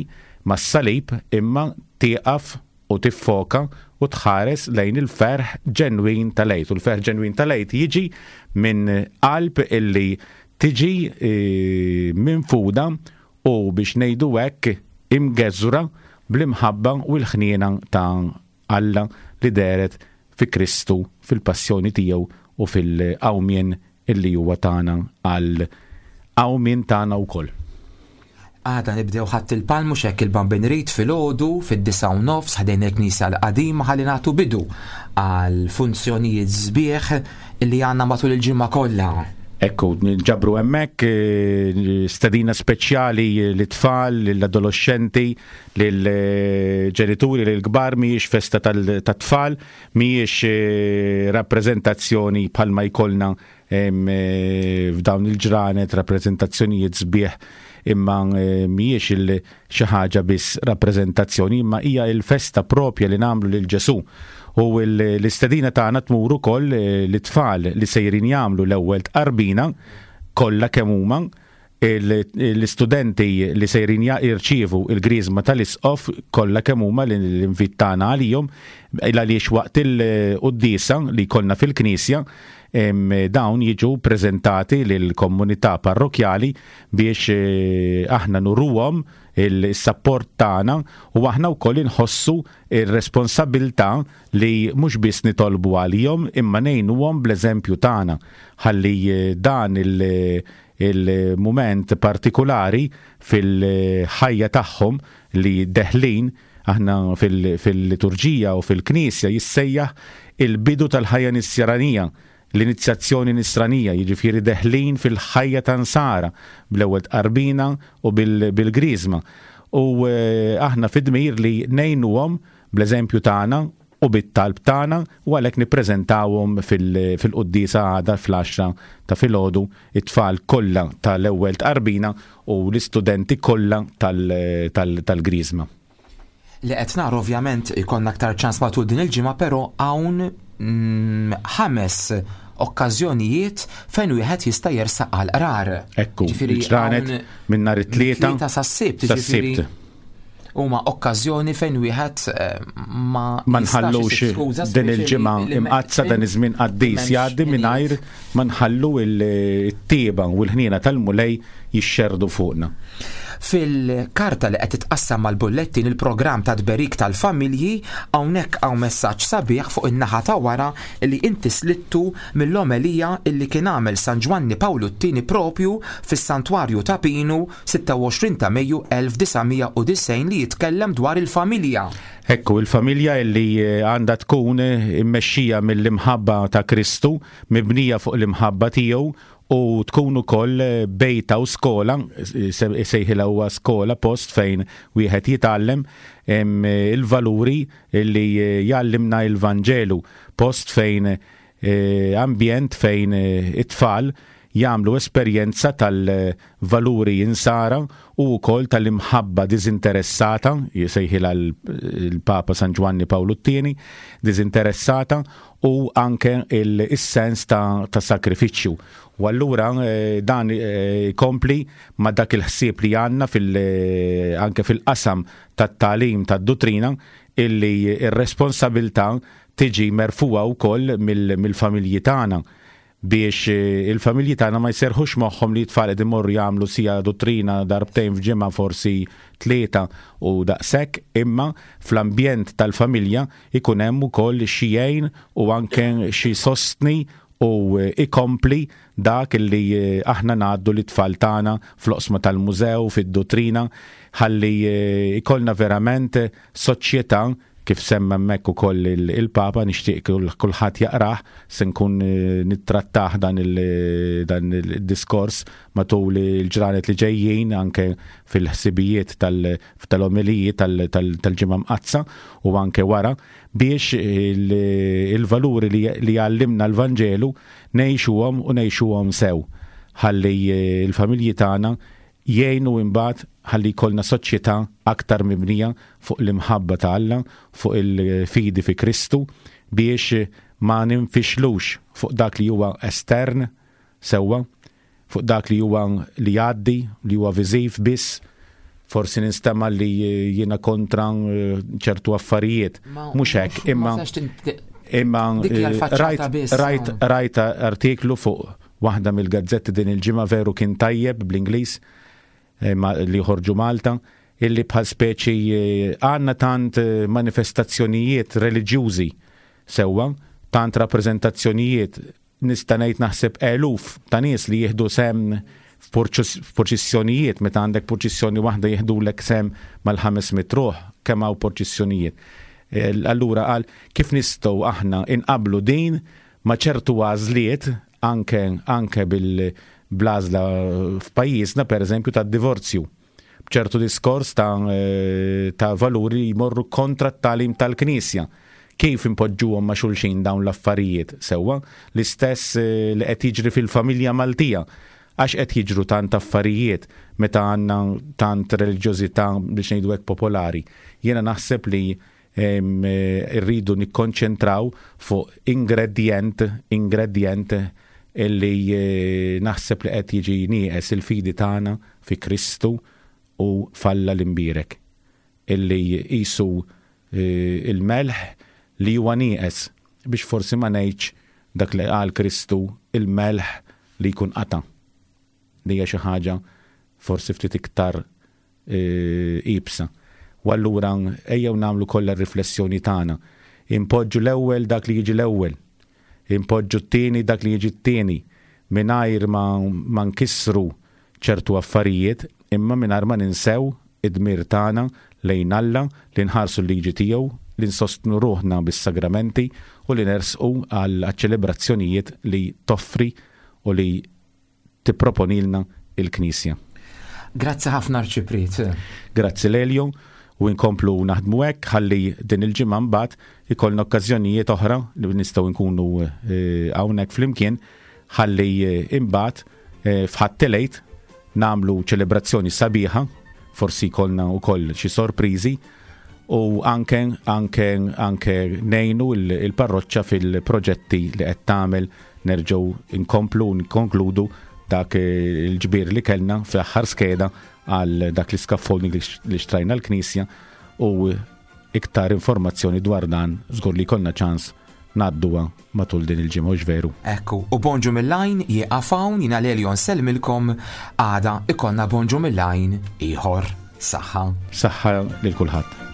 mas-salib, imma tieqaf u tiffoka u tħares lejn il-ferħ ġenwin tal-Għid. U l-ferħ ġenwin tal-Għid jiġi minn qalb illi tiġi e, minfuda u biex ngħidu hekk imgeżwra bl-imħabba u l-ħniena ta' Alla li dehret fi Kristu fil-passjoni tiegħu u fil-qawmien illi huwa tagħna għal qawmien tagħna wkoll. Għada nibdew Ħadd il-Palm mhux hekk il-Bambin Rit filgħodu fid-disgħa u nofs ħdejn il-Knisja l-qadima ħalli nagħtu bidu għal funzjonijiet sbieħ illi għandna matul il-ġimgħa kollha. Ekku, nġabru hemmhekk eh, stedina speċjali l-tfal, l-adolescenti, l-ġenituri, l-kbar, mhijiex festa tat-tfal, mhijiex eh, rappreżentazzjoni bħalma jkollna eh, f'dawn il-ġranet, rappreżentazzjonijiet sbieħ imma mhijiex il xi ħaġa biss rappreżentazzjoni, imma hija il-festa propja li nagħmlu lil Ġesù. U l-istedina tagħna tmur ukoll l-tfal li sejrin jagħmlu l-ewwel tqarbina kollha kemm huma l-istudenti li sejrin jirċievu il-griżma tal-isqof kollha kemm huma l-invit tagħna għalihom għaliex waqt il-quddiesa li jkollna fil-knisja dawn jiġu preżentati lill-komunità parrokjali biex eh, aħna nuruhom il-sapport tagħna u aħna wkoll inħossu ir-responsabilità li mhux biss nitolbu għalihom imma ngħinuhom bl-eżempju tagħna ħalli eh, dan il- il-mument partikolari fil-ħajja tagħhom li deħlin aħna fil-liturġija u fil-knisja jissejjaħ il-bidu tal-ħajja nisranija, l-inizjazzjoni nisranija, jiġifieri deħlin fil-ħajja ta' nsara bl-ewwel tqarbina u bil-griżma. U eh, aħna fid-dmir li ngħinuhom bl-eżempju tagħna u bit-talb tagħna u għalhekk nippreżentawhom fil-quddiesa għada fl-għaxra ta' filgħodu it-tfal kollha tal-ewwel tqarbina u l-istudenti kollha tal-griżma. Li qed nara ovvjament ikollna aktar ċans matul din il-ġimgħa, però hawn mm, ħames okkażjonijiet fejn wieħed jista' jersaq għal qrar. Ekku, ġranet minn nhar it-tlieta tlieta sas-sibt, jiġifieri huma okkażjoni fejn wieħed eh, ma ma nħallux din il-ġimgħa imqaddsa dan iż-żmien qaddis jgħaddi mingħajr ma nħallu it-tieba u l-ħniena tal-Mulej jixxerdu fuqna. Fil-karta li qed titqassam mal-bullettin il-programm ta' tberik tal-familji hawnhekk hawn messaġġ sabiħ fuq in-naħa ta' wara li inti slittu mill-omelija illi kien għamel San Ġwanni Pawlu t-tieni propju fis-Santwarju ta' Pinu sitta u għoxrin ta' Mejju elf disa' mija u disgħin li jitkellem dwar il-familja. Ekku, il-familja illi għandha tkun immexxija mill-imħabba ta' Kristu, mibnija fuq l-imħabba tiegħu u tkun ukoll bejta u skola, sejħilha huwa skola, post fejn wieħed jitgħallem il-valuri li jgħallimna il-Vanġelu, post fejn eh, ambjent fejn it-tfal jagħmlu esperjenza tal-valuri insara u wkoll tal-imħabba diżinteressata, jsejħilha l-Papa San Ġwanni Pawlu t-tieni, diżinteressata u anke il-sens ta', ta' sakrifiċċju. U allura, eh, dan, eh, jkompli ma' dak il-ħsieb li għandna fil-, eh, anke fil-qasam tat-tagħlim tad-dottrina illi ir-responsabilità tiġi merfuha wkoll mill-, mill-familji tagħna biex, eh, il-familji tagħna ma jserħux moħħhom li t-tfal qed imorru jagħmlu sija dottrina darbtejn f'ġimgħa forsi tlieta u daqshekk, imma fl-ambjent tal-familja ikun hemm ukoll xi jgħin u anke xi sostni u ikompli dak li, eh, aħna ngħaddu lit-tfal tagħna fl-oqsma tal-mużew, fid-dottrina, ħalli, eh, ikollna verament soċjetà kif semma hemmhekk ukoll il-, il-Papa, nixtieq kull-, kulħadd jaqrah, se nkun, eh, nittrattah dan il-, dan il-diskors matul il-ġranet li ġejjin anke fil-ħsibijiet tal-, tal-omelijiet tal-, tal-, tal-ġimgħa mqaddsa u anke wara biex il-, il-valuri li, li għallimna l-Vanġelu ngħixuhom u ngħixuhom sew ħalli, eh, il-familji tagħna jgħinu imbagħad ħalli jkollna soċjetà aktar mibnija fuq l-imħabba ta' Alla, fuq il-fidi fi Kristu, biex ma ninfixlux fuq dak li huwa estern sewwa, fuq dak li huwa li jgħaddi, li huwa viżiv biss, Forsi ninstema' li jiena kontra eh, ċertu affarijiet. Mhux hekk, imma imma eh, rajt rajt rajt artiklu fuq waħda mill-gazzetti din il-ġimgħa, veru kien tajjeb, bl-Ingliż, eh, li joħorġu Malta, illi bħal speċi għandna tant manifestazzjonijiet reliġjużi sewwa, tant rappreżentazzjonijiet, nista' ngħid naħseb eluf ta' nies li jieħdu sehem f'purċissjonijiet. Meta għandek purċissjoni waħda jieħdulek sehem mal-ħames mitt ruħ, kemm hawn purċissjonijiet. E, allura qal kif nistgħu aħna inqablu din ma' ċertu għażliet anke anke bil-bl-għażla f'pajjiżna, pereżempju, tad-divorzju, b'ċertu diskors ta', e, ta' valuri jmorru kontra t-tagħlim tal-Knisja. Kif impoġġuhom ma' xulxin dawn l-affarijiet sewwa? L-istess eh, li qed jiġri fil-familja Maltija. Għax qed jiġru tant affarijiet meta għandna tant reliġjożità, biex ngħidu hekk, popolari? Jiena naħseb li eh, rridu nikkonċentraw fuq ingredient, ingredient illi eh, naħseb li qed jiġi nieqes: il-fidi tagħna fi Kristu u f'Alla l-imbierek. Illi qisu il-melħ li huwa nieqes, biex forsi ma ngħidx dak li qal Kristu, il-melħ li jkun qata'. Li hija xi ħaġa forsi ftit iktar e, iebsa. U allura ejjew nagħmlu kollha r-riflessjoni tagħna. Impoġġu l-ewwel dak li jiġi l-ewwel. Impoġġu t-tieni dak li jiġi t-tieni, mingħajr ma, ma nkissru ċertu affarijiet, imma mingħajr ma ninsew id-dmir tagħna lejn Alla li nħarsu l-liġi tiegħu, li nsostnu ruħna bis-sagramenti u li nersqu għal ċelebrazzjonijiet li toffri u li tipproponilna il-Knisja. Grazzi ħafna, Arċipriet. Grazzi, Lelio, u nkomplu naħdmu hekk ħalli din il-ġimgħa mbagħad ikollna okkażjonijiet oħra li nistgħu nkunu eh, hawnhekk flimkien, ħalli eh, imbagħad eh, f'Ħadd il-Għid nagħmlu ċelebrazzjoni sabiħa, forsi jkollna wkoll xi sorpriżi u anke anke anke ngħinu il-parroċċa fil-proġetti li qed tagħmel, nerġgħu nkomplu nkonkludu dak il-ġbir li kellna fl-aħħar skeda għal dak l-scaffolding li xtrajna l-knisja, u iktar informazzjoni dwar dan żgur li jkollna ċans ngħadduha matul din il-ġimgħa, veru? Ekku, u Bonġu mill-Għajn jieqaf hawn. Jiena Lelio nsellmilkom, għada ikollna Bonġu mill-Għajn ieħor. Saħħa. Saħħa lil kulħadd.